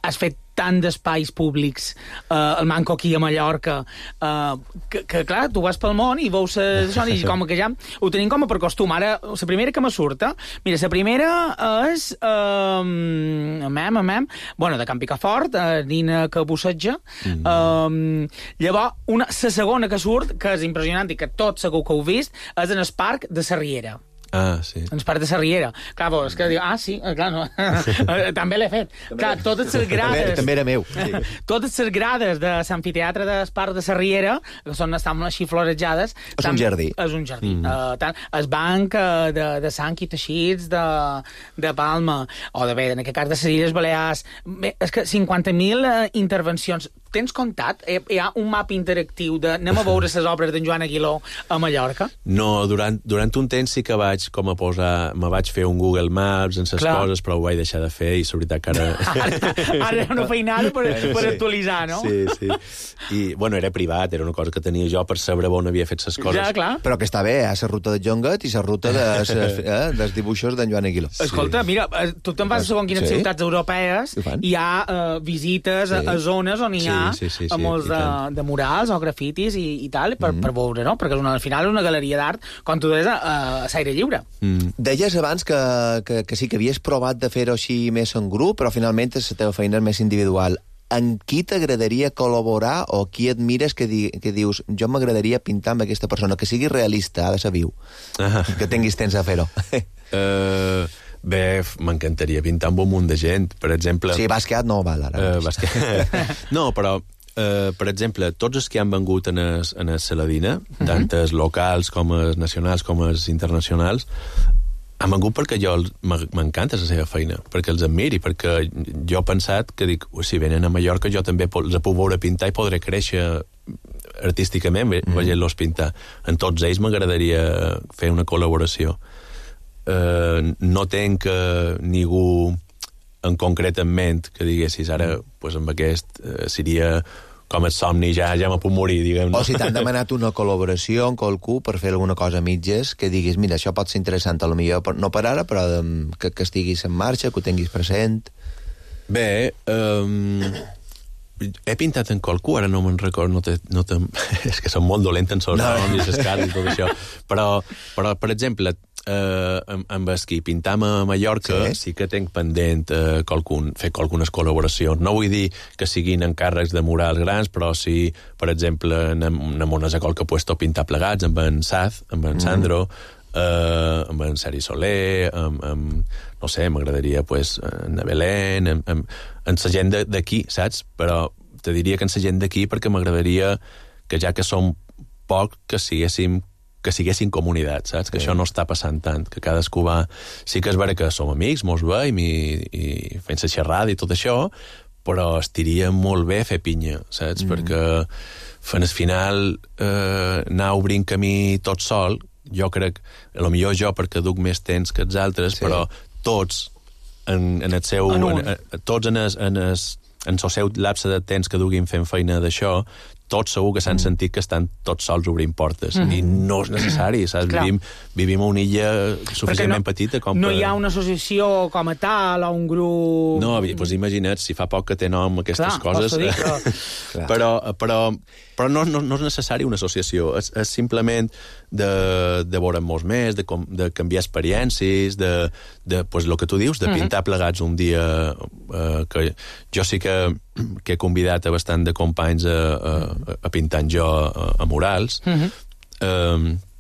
has fet tant d'espais públics eh, al Manco aquí a Mallorca eh, que, que, clar, tu vas pel món i veus això i com que ja ho tenim com a per costum. Ara, la primera que me surta, mira, la primera és eh, amem, amem, bueno, de Can Picafort, eh, Nina que busseja. Mm. Eh, llavors, una, la segona que surt, que és impressionant i que tot segur que heu vist, és en el parc de la Riera. Ah, sí. Ens part de la Riera. Clar, és que diu, ah, sí, clar, no. També l'he fet. Clar, totes les grades... També, també era meu. Sí. Totes les grades de l'amfiteatre del parc de la Riera, que són, estan així florejades... És tam, un jardí. És un jardí. Mm. Uh, tant, el banc uh, de, de sang i teixits de, de Palma, o de bé, en aquest cas de les Illes Balears... Bé, és que cinquanta mil uh, intervencions... Tens comptat? Hi ha un mapa interactiu de anem a veure les obres d'en Joan Aguiló a Mallorca? No, durant, durant un temps sí que vaig com a posar... Me vaig fer un Google Maps en ses coses, però ho vaig deixar de fer i la veritat que ara... ara, ara era una feinada per, per sí. actualitzar, no? Sí, sí. I, bueno, era privat, era una cosa que tenia jo per saber on havia fet les coses. Ja, clar. Però que està bé, eh? La ruta de Jongat i la ruta de, eh? dels dibuixos d'en Joan Aguiló. Escolta, sí. Mira, tu te'n vas a segons quines sí. ciutats europees i hi ha uh, visites sí. a, a zones on hi ha sí, sí, sí, sí, molts de, de murals o grafitis i, i tal, per, mm. per veure, no? Perquè és una, al final és una galeria d'art, com tu deies, a, a l'aire lliure. Mm. Deies abans que, que, que sí que havies provat de fer-ho així més en grup, però finalment la teva feina és més individual. En qui t'agradaria col·laborar o qui admires que, di, que dius jo m'agradaria pintar amb aquesta persona, que sigui realista, ha de ser viu, ah. que tinguis temps a fer-ho? Uh... Bé, m'encantaria pintar amb un munt de gent, per exemple... Sí, Basquiat no val ara. Uh, Basquiat... no, però, uh, per exemple, tots els que han vengut en el, en el Saladina, uh-huh. tant els locals com els nacionals com els internacionals, han vengut perquè jo m'encanta la seva feina, perquè els admiri, perquè jo he pensat que dic, si venen a Mallorca jo també els puc veure pintar i podré créixer artísticament mm. veient-los pintar. En tots ells m'agradaria fer una col·laboració. Uh, no tenc uh, ningú en concret en ment que diguessis ara, pues, amb aquest uh, seria com el somni, ja, ja me puc morir, diguem, no? O si t'han demanat una col·laboració amb qualcú per fer alguna cosa a mitges, que diguis, mira, això pot ser interessant, a lo millor no per ara, però um, que, que estiguis en marxa, que ho tinguis present. Bé, um, he pintat en qualcú, ara no me'n recordo, no te, no te, és que som molt dolents en els no. noms i les cares i tot això, però, però per exemple, Uh, amb, amb el qui pintam a Mallorca sí, sí que tenc pendent uh, qualcun, fer qualcunes col·laboracions. No vull dir que siguin encàrrecs de murals grans, però sí, per exemple, anem, anem a qualque puesto a pintar plegats amb en Saz, amb en Sandro, mm. uh, amb en Seri Soler, amb, amb, no sé, m'agradaria, pues, en Belén, amb, amb, amb la gent d'aquí, saps? Però te diria que en la gent d'aquí perquè m'agradaria que ja que som poc, que siguéssim que siguessin comunitats, saps? Que sí. Això no està passant tant, que cadascú va... Sí que és vera que som amics, mos veiem i, i fent la xerrada i tot això, però estiria molt bé fer pinya, saps? Mm. Perquè fent al final eh, anar obrint camí tot sol, jo crec, a lo millor jo perquè duc més temps que els altres, sí. Però tots en, en el seu... En en, en, tots en el, en, el, en el seu lapse de temps que duguin fent feina d'això, tots segur que s'han mm. sentit que estan tots sols obrint portes. Mm. I no és necessari, saps? Vivim, vivim a una illa suficientment no, petita com no per... hi ha una associació com a tal o un grup... No, doncs imagina't, si fa poc que té nom aquestes clar, coses... Dir, però... però, però, però no, no, no és necessari una associació, és, és simplement de, de veure'm molts més, de, com, de canviar experiències, de, de pues, el que tu dius, de pintar mm-hmm. plegats un dia, eh, que jo sí que, que he convidat a bastant de companys a, a, a pintar jo a, a murals, mm-hmm. eh,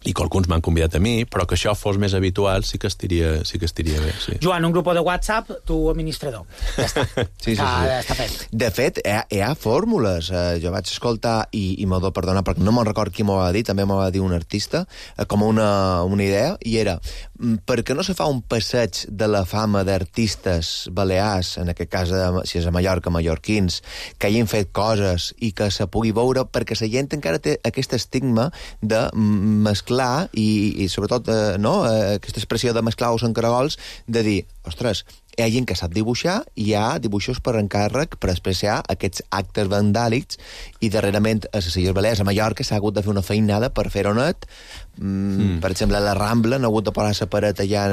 i que alguns m'han convidat a mi, però que això fos més habitual sí que estiria, sí que estiria bé. Sí. Joan, un grup de WhatsApp, tu administrador. Ja està. Sí, sí, sí. Ah, està fet. De fet, hi ha, hi ha fórmules. Uh, jo vaig escoltar, i, i m'ho perdona, perquè no me'n record qui m'ho va dir, també m'ho va dir un artista, uh, com una, una idea, i era, per què no se fa un passeig de la fama d'artistes balears, en aquest cas, de, si és a Mallorca, mallorquins, que hagin fet coses i que se pugui veure, perquè la gent encara té aquest estigma de mesclar i, i sobretot, eh, no, eh, aquesta expressió de mesclar os en caragols, de dir, ostres, hi ha gent que sap dibuixar i hi ha dibuixos per encàrrec per expressar aquests actes vandàlics i darrerament a les Illes Balears, a Mallorca, s'ha hagut de fer una feinada per fer-ho net. Mm, mm. Per exemple, a la Rambla han hagut de posar la paret allà,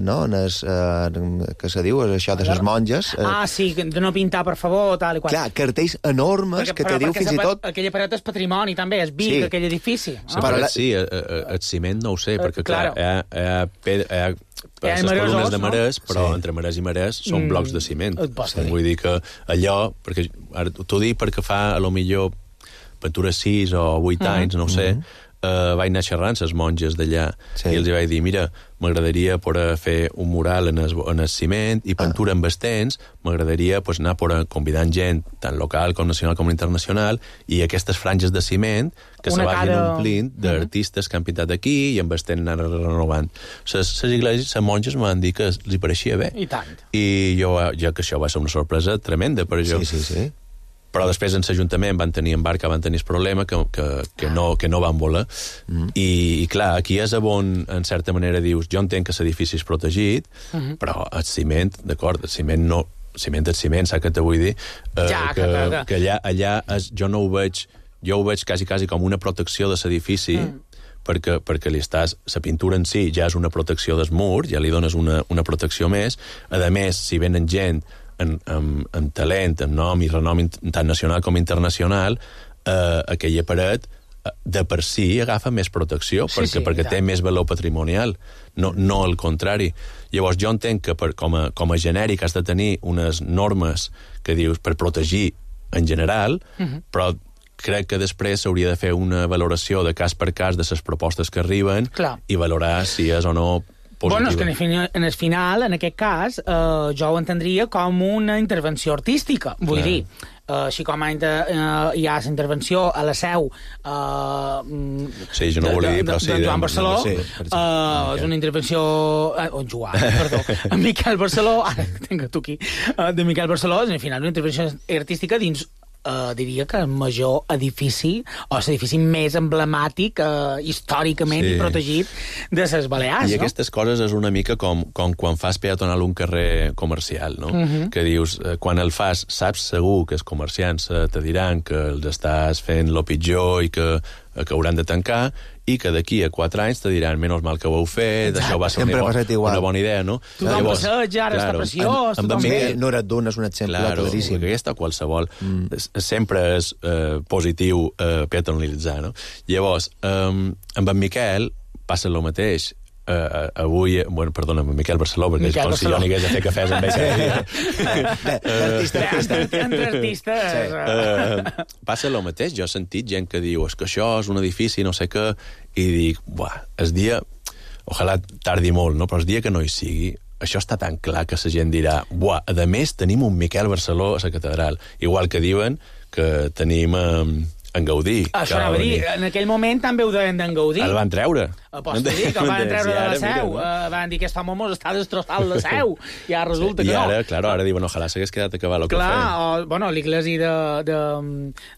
no, en es, eh, que se diu, és això de les monges. Eh. Ah, sí, de no pintar, per favor, tal i qual. Clar, cartells enormes perquè, que te diu fins i tot... Aquella paret és patrimoni, també, és Vic, sí. Aquell edifici. La paret, sí, el ciment no ho sé, perquè, clar, hi ha, hi ha, pedra, hi ha per les columnes de marès, no? Però sí. Entre marès i marès són mm. blocs de ciment. Sí. Vull dir que allò, perquè ara t'ho dic perquè fa, a lo millor, pintura sis o vuit mm. anys, no ho sé, mm. eh, vaig anar xerrant les monges d'allà sí. I els vaig dir, mira, m'agradaria poder fer un mural en el, en el ciment i pintura ah. amb estens, m'agradaria pues, anar poder convidant gent, tant local com nacional com internacional, i aquestes franges de ciment que una se vagin cara... omplint d'artistes que han pintat aquí i amb estent anar renovant. Les iglesis, les monges m'han dit que li pareixia bé. I tant. I jo, ja que això va ser una sorpresa tremenda per jo. Sí, sí, sí. Però després en l'Ajuntament van tenir en Barca, van tenir el problema que, que, que, no, que no van voler. Mm. I, I clar, aquí és on, en certa manera, dius, jo entenc que l'edifici és protegit, mm -hmm. però el ciment, d'acord, el ciment no... Ciment és ciment, saps què te vull dir? Eh, ja, que, que, que, que allà, allà és, jo no ho veig... Jo ho veig quasi, quasi com una protecció de l'edifici, mm. perquè, perquè li estàs... La pintura en si ja és una protecció del mur, ja li dones una, una protecció més. A més, si venen gent amb, amb, amb talent, amb nom i renom tant nacional com internacional, eh, aquella paret de per si agafa més protecció, sí, perquè, sí, perquè té més valor patrimonial, no, no el contrari. Llavors jo entenc que per, com, a, com a genèric has de tenir unes normes que dius per protegir en general, uh-huh. però crec que després s'hauria de fer una valoració de cas per cas de les propostes que arriben Clar. I valorar si és o no positiva. Bueno, és que en el, final, en el final, en aquest cas, eh, jo ho entendria com una intervenció artística. Vull Clar. dir, Uh, així com uh, hi ha la intervenció a la seu uh, sí, jo no volia dir, però sí, de Joan Barceló, sí, uh, és una intervenció uh, oh, Joan, perdó, en Miquel Barceló, ara tinc tu aquí, uh, de Miquel Barceló, és al final una intervenció artística dins Uh, diria que el major edifici o l'edifici més emblemàtic uh, històricament sí. I protegit de les Balears, I no? aquestes coses és una mica com, com quan fas peatonal un carrer comercial, no? Uh-huh. Que dius, eh, quan el fas, saps segur que els comerciants eh, te diran que els estàs fent lo pitjor i que, eh, que hauran de tancar, i que d'aquí a quatre anys te diran menys mal que ho heu fet, això va ser una, bo, una bona idea, no? Tothom passeig, ara està preciós... En, en Miguel Noradun és un exemple claro, claríssim. Claro, aquesta qualsevol. Mm. Sempre és eh, positiu eh, peatonalitzar, no? Llavors, eh, amb en Miquel passa el mateix. Uh, avui, bueno, perdona, Miquel Barceló, perquè Miquel és com Barceló. Si jo anigués a fer cafès amb ell cada dia. Artista, artista. Entre artistes... Sí. Uh, passa el mateix. Jo he sentit gent que diu és que això és un edifici, no sé què, i dic, buah, el dia... Ojalà tardi molt, no? Però el dia que no hi sigui, això està tan clar que la gent dirà buah, a més tenim un Miquel Barceló a la catedral. Igual que diuen que tenim... Um, en Gaudí. Això anava a dir, en aquell moment també ho deien d'en Gaudí. El van treure. Aposto dir que el van treure de la seu. Mira, no? uh, van dir que aquest home mos està destrossant la seu. I ara resulta sí, que no. I ara, claro, ara diuen, ojalà s'hagués quedat a acabar el que Clar, feien. o, bueno, l'Iglesi de, de,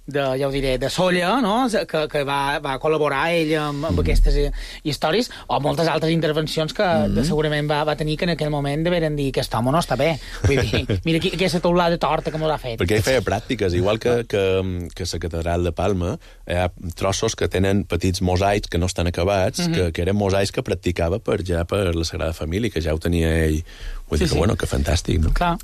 de, ja ho diré, de Solla, no? que, que va, va col·laborar ell amb, amb mm. aquestes històries, o moltes altres intervencions que mm. segurament va, va tenir que en aquell moment deveren dir que aquest home no està bé. Vull dir, mira aquí, aquesta taulada torta que mos ha fet. Perquè ell feia pràctiques, igual que, que, que la catedral de Palma, hi ha trossos que tenen petits mosaics que no estan acabats, mm -hmm. que, que eren mosaics que practicava per ja per la Sagrada Família, que ja ho tenia ell. Vull sí, dir que, sí. bueno, que fantàstic, no? Clar.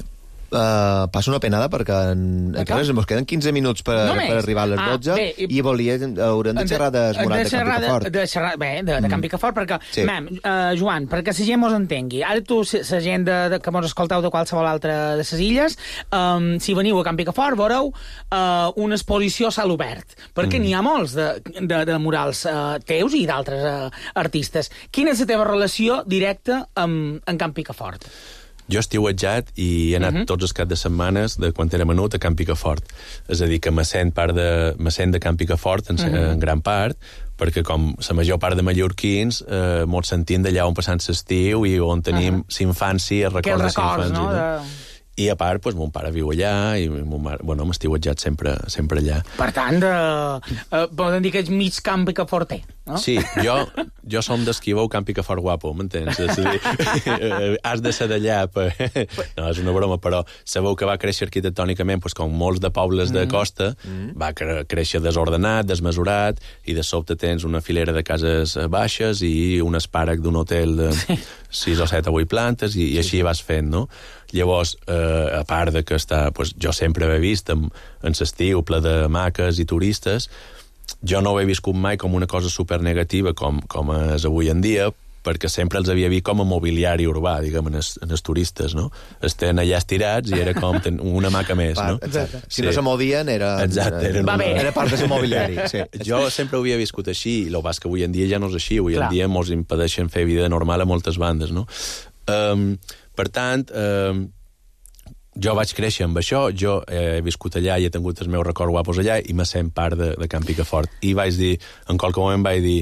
Uh, passo una penada perquè en, en res, ens queden quinze minuts per, per arribar a les dotze ah, bé, i, i volia, haurem de xerrar de Morat de, de Camp Picafort. De xerrar, bé, de, de Camp Picafort, perquè, sí. mem, uh, Joan, perquè la gent mos entengui, ara tu, la gent de, de, que mos escolteu de qualsevol altra de les illes, um, si veniu a Camp Picafort, veureu uh, una exposició a cel obert, perquè mm. n'hi ha molts de, de, de murals uh, teus i d'altres uh, artistes. Quina és la teva relació directa amb, amb Camp Picafort? Jo estiuetjat i he anat uh -huh. tots els caps de setmanes de quan era menut a Camp Picafort. És a dir, que me sent, part de, me sent de Camp Picafort en, uh -huh. en gran part, perquè com la major part de mallorquins eh, mos sentim d'allà on passant l'estiu i on tenim uh -huh. l'infància, records de l'infància. No? De... I a part, pues, mon pare viu allà i mon mare, bueno, m'estiuetjat sempre, sempre allà. Per tant, de, uh, poden dir que ets mig Camp Picaforter, no? Sí, jo, jo som d'esquiveu Camp Picafort guapo, m'entens? És a dir, has de ser d'allà. Per... No, és una broma, però sabeu que va créixer arquitectònicament, pues, com molts de pobles de costa, mm. va cre créixer desordenat, desmesurat, i de sobte tens una filera de cases baixes i un espàrec d'un hotel de sí. sis o set o vuit plantes, i, i així vas fent, no? Llavors, eh, a part de que està, pues, jo sempre he vist en, en l'estiu ple de maques i turistes, jo no ho he viscut mai com una cosa supernegativa com, com és avui en dia, perquè sempre els havia vist com a mobiliari urbà, diguem, en els, en els turistes, no? Estan allà estirats i era com una maca més, no? Exacte. Si sí. no se movien, era, Exacte, era, era, una... era part del mobiliari. Sí. Jo sempre ho havia viscut així, i el que passa que avui en dia ja no és així, avui Clar. en dia mos impedeixen fer vida normal a moltes bandes, no? Um, per tant, um, jo vaig créixer amb això, jo he viscut allà i he tingut els meus records guapos allà i me sent part de, de Camp Picafort. I vaig dir, en qualque moment vaig dir,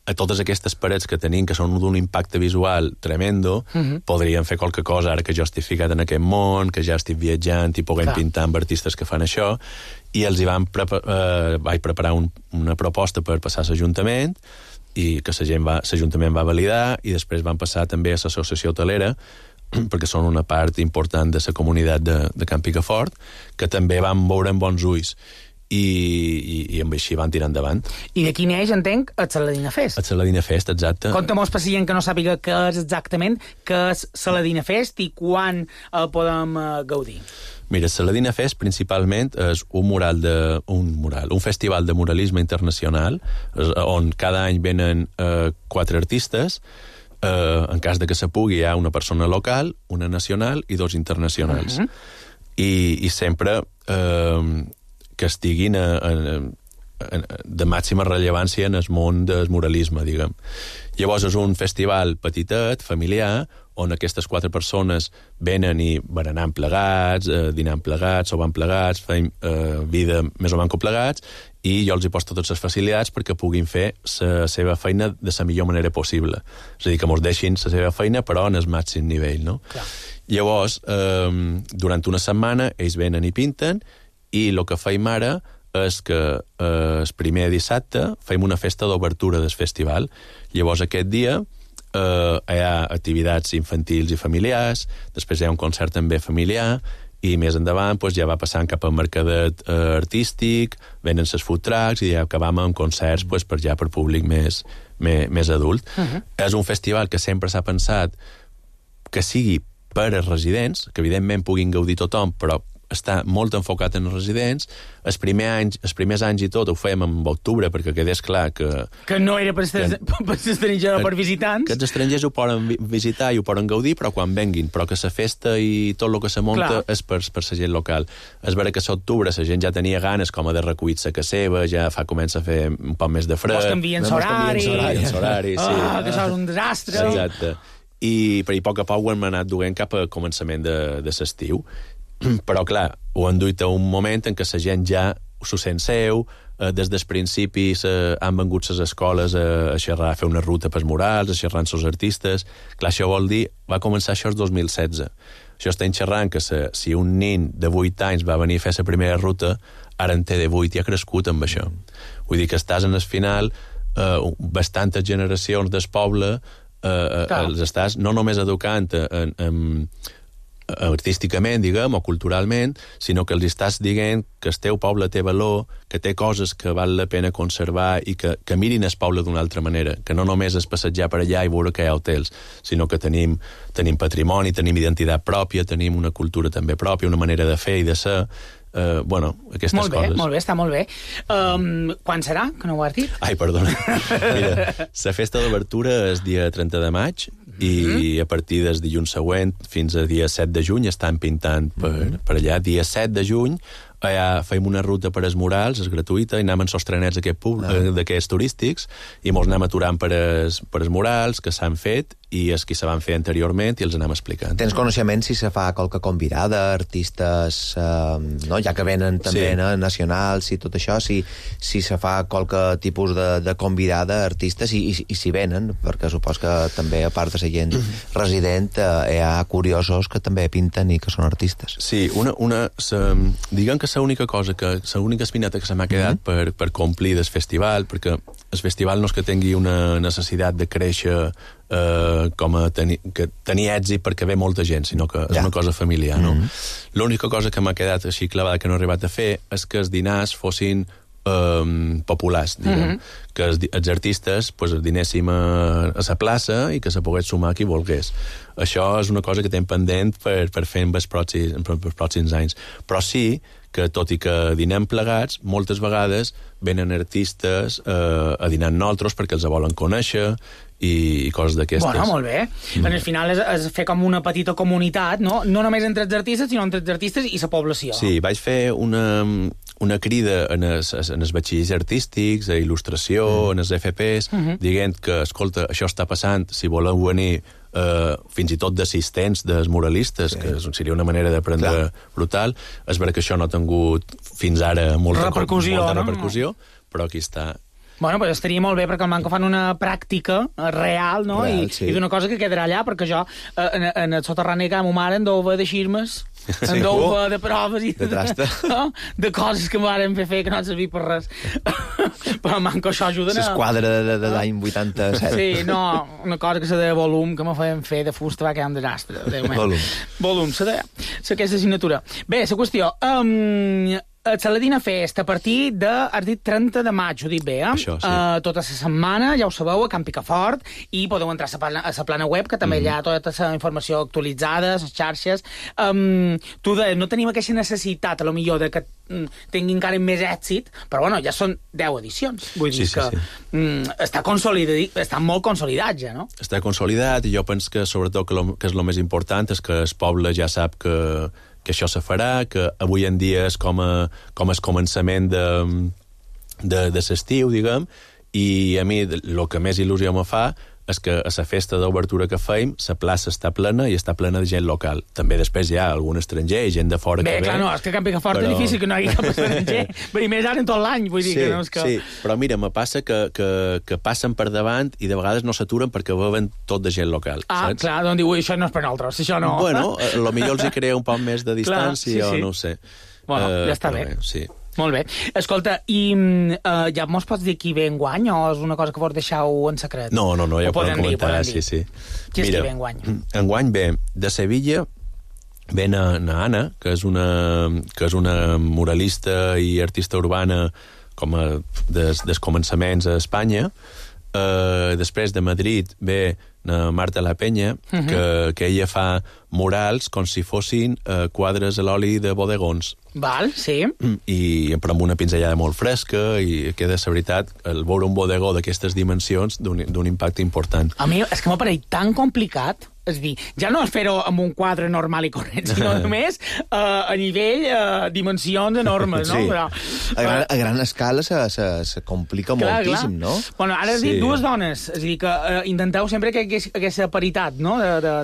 a totes aquestes parets que tenim, que són d'un impacte visual tremendo, uh -huh. podríem fer qualque cosa ara que jo estic ficat en aquest món, que ja estic viatjant i puguem Clar. pintar amb artistes que fan això, i els hi van prepa eh, vaig preparar un, una proposta per passar a l'Ajuntament, i que l'Ajuntament va, va validar, i després van passar també a l'Associació Hotelera, perquè són una part important de la comunitat de, de Camp Picafort, que també van veure amb bons ulls. I, i, i amb així van tirar endavant. I d'aquí neix, entenc, el Saladina Fest. El Saladina Fest, exacte. Conta-mos per si gent que no sàpiga què és exactament, què és Saladina Fest i quan el podem uh, gaudir. Mira, el Saladina Fest principalment és un mural de, un mural, un festival de muralisme internacional, on cada any venen uh, quatre artistes. Uh, en cas de que se pugui, hi ha una persona local, una nacional i dos internacionals. Uh -huh. I, i sempre uh, que estiguin a, a, a, de màxima rellevància en el món del muralisme, diguem. Llavors és un festival petitet, familiar, on aquestes quatre persones venen i berenant plegats, eh, dinant plegats, sopant plegats, fem eh, vida més o menys plegats, i jo els hi poso totes les facilitats perquè puguin fer la seva feina de la millor manera possible. És a dir, que mos deixin la seva feina, però en el màxim nivell, no? Clar. Llavors, eh, durant una setmana, ells venen i pinten, i el que feim ara és que eh, el primer dissabte fem una festa d'obertura del festival. Llavors, aquest dia eh, hi ha activitats infantils i familiars, després hi ha un concert també familiar, i més endavant pues, ja va passant cap al mercadet eh, artístic, venen les food trucks i ja acabam amb concerts pues, per ja per públic més, més, més adult. Uh -huh. És un festival que sempre s'ha pensat que sigui per als residents, que evidentment puguin gaudir tothom, però està molt enfocat en els residents. Els primers anys, els primers anys i tot ho fèiem en octubre perquè quedés clar que... Que no era per estrangers o per visitants. Que els estrangers ho poden visitar i ho poden gaudir, però quan venguin. Però que la festa i tot el que se munta clar. és per, per la gent local. És vera que a l'octubre la gent ja tenia ganes com a de recollir sa que seva, ja fa comença a fer un poc més de fred. Vos canvien l'horari. L'horari, sí. Ah, que això és un desastre. Exacte. I, però i a poc a poc ho hem anat duent cap a començament de, de l'estiu. Però, clar, ho han duit a un moment en què la gent ja s'ho sent seu, eh, des dels principis eh, han vengut les escoles a, a xerrar, a fer una ruta pels murals, a xerrar amb els artistes. Clar, això vol dir, va començar això el dos mil setze. Això estem xerrant que se, si un nin de vuit anys va venir a fer la primera ruta, ara en té de vuit i ha crescut amb això. Vull dir que estàs en el final, eh, bastantes generacions del poble, eh, els estàs no només educant en, en, artísticament, diguem, o culturalment, sinó que els estàs dient que el teu poble té valor, que té coses que val la pena conservar i que, que mirin el poble d'una altra manera, que no només és passejar per allà i veure que hi ha hotels, sinó que tenim, tenim patrimoni, tenim identitat pròpia, tenim una cultura també pròpia, una manera de fer i de ser. Uh, bueno, aquestes molt bé, coses. Molt bé, està molt bé. Um, quan serà, que no ho has dit? Ai, perdona. Mira, la festa d'obertura és dia trenta de maig i mm-hmm. a partir del dilluns següent fins a dia set de juny estan pintant per, mm-hmm. per allà. Dia set de juny allà fem una ruta per als murals, és gratuïta, i anem en sostrenets d'aquests turístics i mos anem aturant per als, per als murals que s'han fet i els que se van fer anteriorment i els anem explicant. Tens coneixement si se fa qualque convidada, artistes, eh, no? Ja que venen també sí. no? nacionals i tot això, si, si se fa qualque tipus de, de convidada, artistes, i, i, i si venen, perquè supos que també, a part de la gent resident, eh, hi ha curiosos que també pinten i que són artistes. Sí, una, una sa, diguem que l'única cosa, que l'única espineta que se m'ha quedat mm-hmm. per, per complir del festival, perquè el festival no és que tingui una necessitat de créixer Uh, com a tenir, que tenir èxit perquè ve molta gent, sinó que és ja. una cosa familiar, no? Mm-hmm. L'única cosa que m'ha quedat així clavada que no he arribat a fer és que els dinars fossin um, populars, diguem. Mm-hmm. Que els, els artistes pues, dinéssim a, a la plaça i que se pogués sumar qui volgués. Això és una cosa que tenim pendent per, per fer en els pròxims, en els pròxims anys. Però sí que, tot i que dinem plegats, moltes vegades venen artistes eh, a dinar amb nosaltres perquè els volen conèixer i, i coses d'aquestes. Bueno, molt bé. Mm. En el final és, és fer com una petita comunitat, no? No només entre els artistes, sinó entre els artistes i la població. Sí, vaig fer una, una crida en els, en els batxills artístics, a il·lustració, mm. en els F Ps, mm-hmm. dient que, escolta, això està passant, si voleu venir Uh, fins i tot d'assistents dels muralistes, sí. que seria una manera d'aprendre Clar. brutal. És veritat que això no ha tingut fins ara molta repercussió, molta repercussió no? però aquí està. Bueno, pues estaria molt bé perquè al manco fan una pràctica real, no? Real, I, sí. i d'una cosa que quedarà allà, perquè jo en, en el soterrani que ma mare en deu haver de xirmes, sí. en deu haver de proves i de, de, no? de coses que m'han fer fer que no han servit per res. Però al manco això ajuda a... L'esquadra de, de l'any vuitanta-set. Sí, no, una cosa que se deia volum, que me feien fer de fusta va quedar un desastre. Volum. Volum, se deia. Aquesta assignatura. Bé, la qüestió... Um, Saladina Fest, a partir de, has dit, trenta de maig, ho dic bé, eh? Això, sí. Uh, tota la setmana, ja ho sabeu, a Can Picafort, i podeu entrar a la plana, a la plana web, que també mm. hi ha tota la informació actualitzada, les xarxes. Um, tu deies, no tenim aquesta necessitat, a lo millor, de que mm, tingui encara més èxit, però bueno, ja són deu edicions. Vull dir sí, sí, que sí. Mm, està, consolidat, està molt consolidat ja, no? Està consolidat, i jo penso que sobretot que, lo, que és el més important és que el poble ja sap que que això se farà, que avui en dia és com a, com el començament de, de, de l'estiu, diguem, i a mi el que més il·lusió me fa és que a la festa d'obertura que feim la plaça està plena i està plena de gent local. També després hi ha algun estranger i gent de fora Bé, que ve. Bé, clar, no, és que a Can Picafort però... és difícil que no hi hagi cap estranger. I més ara en tot l'any, vull dir sí, que no és que... Sí, però mira, me passa que, que, que passen per davant i de vegades no s'aturen perquè veuen tot de gent local. Ah, saps? clar, doncs diu, això no és per nosaltres, això no... Bueno, a lo millor els hi crea un poc més de distància clar, sí, sí. o no ho sé. Bueno, uh, ja està bé. bé. Sí. Molt bé. Escolta, i uh, ja mos pots dir qui ve enguany o és una cosa que vos deixeu en secret? No, no, no, ja ho podem comentar, dir, sí, sí. Qui és qui ve enguany? Enguany ve de Sevilla, ve na, na Anna, que és, una, que és una muralista i artista urbana com a des, des començaments a Espanya. Uh, després de Madrid ve na Marta La Peña, uh-huh. que, que ella fa murals com si fossin uh, quadres a l'oli de bodegons. Val, sí. I però amb una pinzellada molt fresca i queda, la veritat, el veure un bodegó d'aquestes dimensions d'un impacte important. A mi és que m'ha pareix tan complicat és a dir, ja no és fer-ho amb un quadre normal i corrent, sinó només uh, a nivell, uh, dimensions enormes, no? Sí. Però, a, gran, a gran escala se, se, se complica clar, moltíssim, clar. no? Bueno, ara has sí. dit dues dones, és a dir, que uh, intenteu sempre que hi hagués aquesta paritat, no?,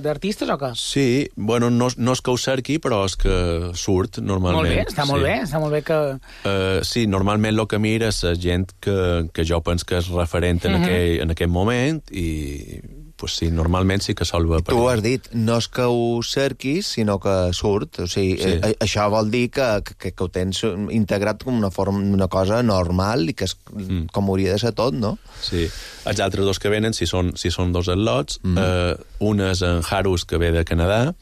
d'artistes o què? Sí, bueno, no, no és que ho cerqui, però és que surt, normalment. Molt bé, està sí. molt bé, està molt bé que... Uh, sí, normalment el que mira és la gent que, que jo penso que és referent en, Mhm. aquell, en aquest moment i, pues sí, normalment sí que sol haver... Tu ho has dit, no és que ho cerquis, sinó que surt. O sigui, Sí. a, això vol dir que, que, que ho tens integrat com una forma, una cosa normal i que és mm. com hauria de ser tot, no? Sí. Els altres dos que venen, si són, si són dos atlots, mm. eh, un és en Harus, que ve de Canadà,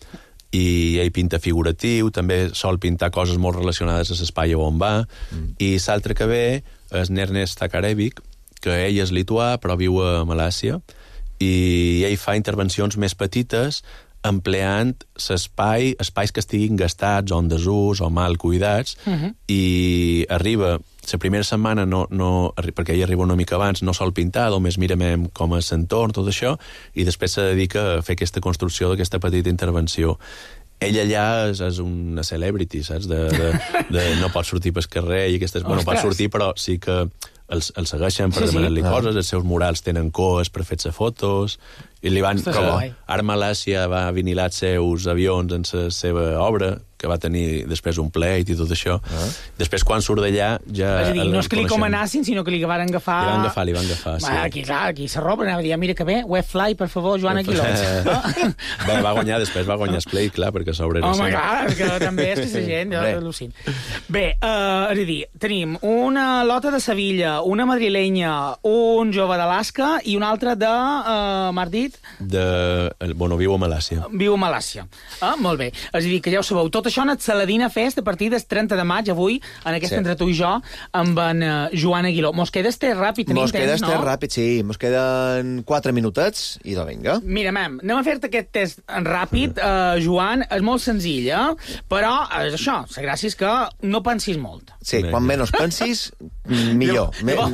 i ell pinta figuratiu, també sol pintar coses molt relacionades a l'espai on va, mm. i l'altre que ve és Ernest Takarevic, que ell és lituà, però viu a Malàisia, i ell fa intervencions més petites empleant l'espai, espais que estiguin gastats o en desús o mal cuidats, uh-huh. i arriba, la primera setmana, no, no, perquè ell arriba una mica abans, no sol pintar, només mirem com és l'entorn, tot això, i després se dedica a fer aquesta construcció d'aquesta petita intervenció. Ell allà és, és una celebrity, saps? De, de, de no pot sortir pel carrer i aquestes... Bueno, pot sortir, però sí que els, els segueixen per sí, demanar-li sí. coses, els seus murals tenen coes per fer-se fotos, i li van... Ostres, com, guai. Ara Malàcia va vinilar els seus avions en la seva obra, que va tenir després un pleit i tot això. Ah. Després, quan surt d'allà, ja... És a dir, no és que li coneixem. comenassin, sinó que li van agafar... Li van agafar, li van agafar, sí. Va, aquí, clar, aquí s'arroba, anava a dir, mira que bé, Webfly, per favor, Joan Aguilot. No? Bé, va guanyar, després va guanyar Splay, clar, perquè sobre... Home, clar, que també és que la gent, jo al·lucino. Bé, uh, és a dir, tenim una lota de Sevilla, una madrilenya, un jove d'Alaska i un altre de, uh, m'has dit? De... Bueno, viu a Malàcia. Viu a Malàcia. Ah, molt bé. És a dir, que ja ho sabeu, tot això en el Saladina Fest a partir del trenta de maig, avui, en aquest sí. Entre tu i jo, amb en uh, Joan Aguiló. Mos queda este ràpid, tenim mos queda temps, este no? ràpid, sí. Mos queden quatre minutets i de vinga. Mira, mam, anem a fer-te aquest test ràpid, uh, Joan. És molt senzill, eh? Però és això, la gràcia és que no pensis molt. Sí, quan menys pensis, millor. Llavors,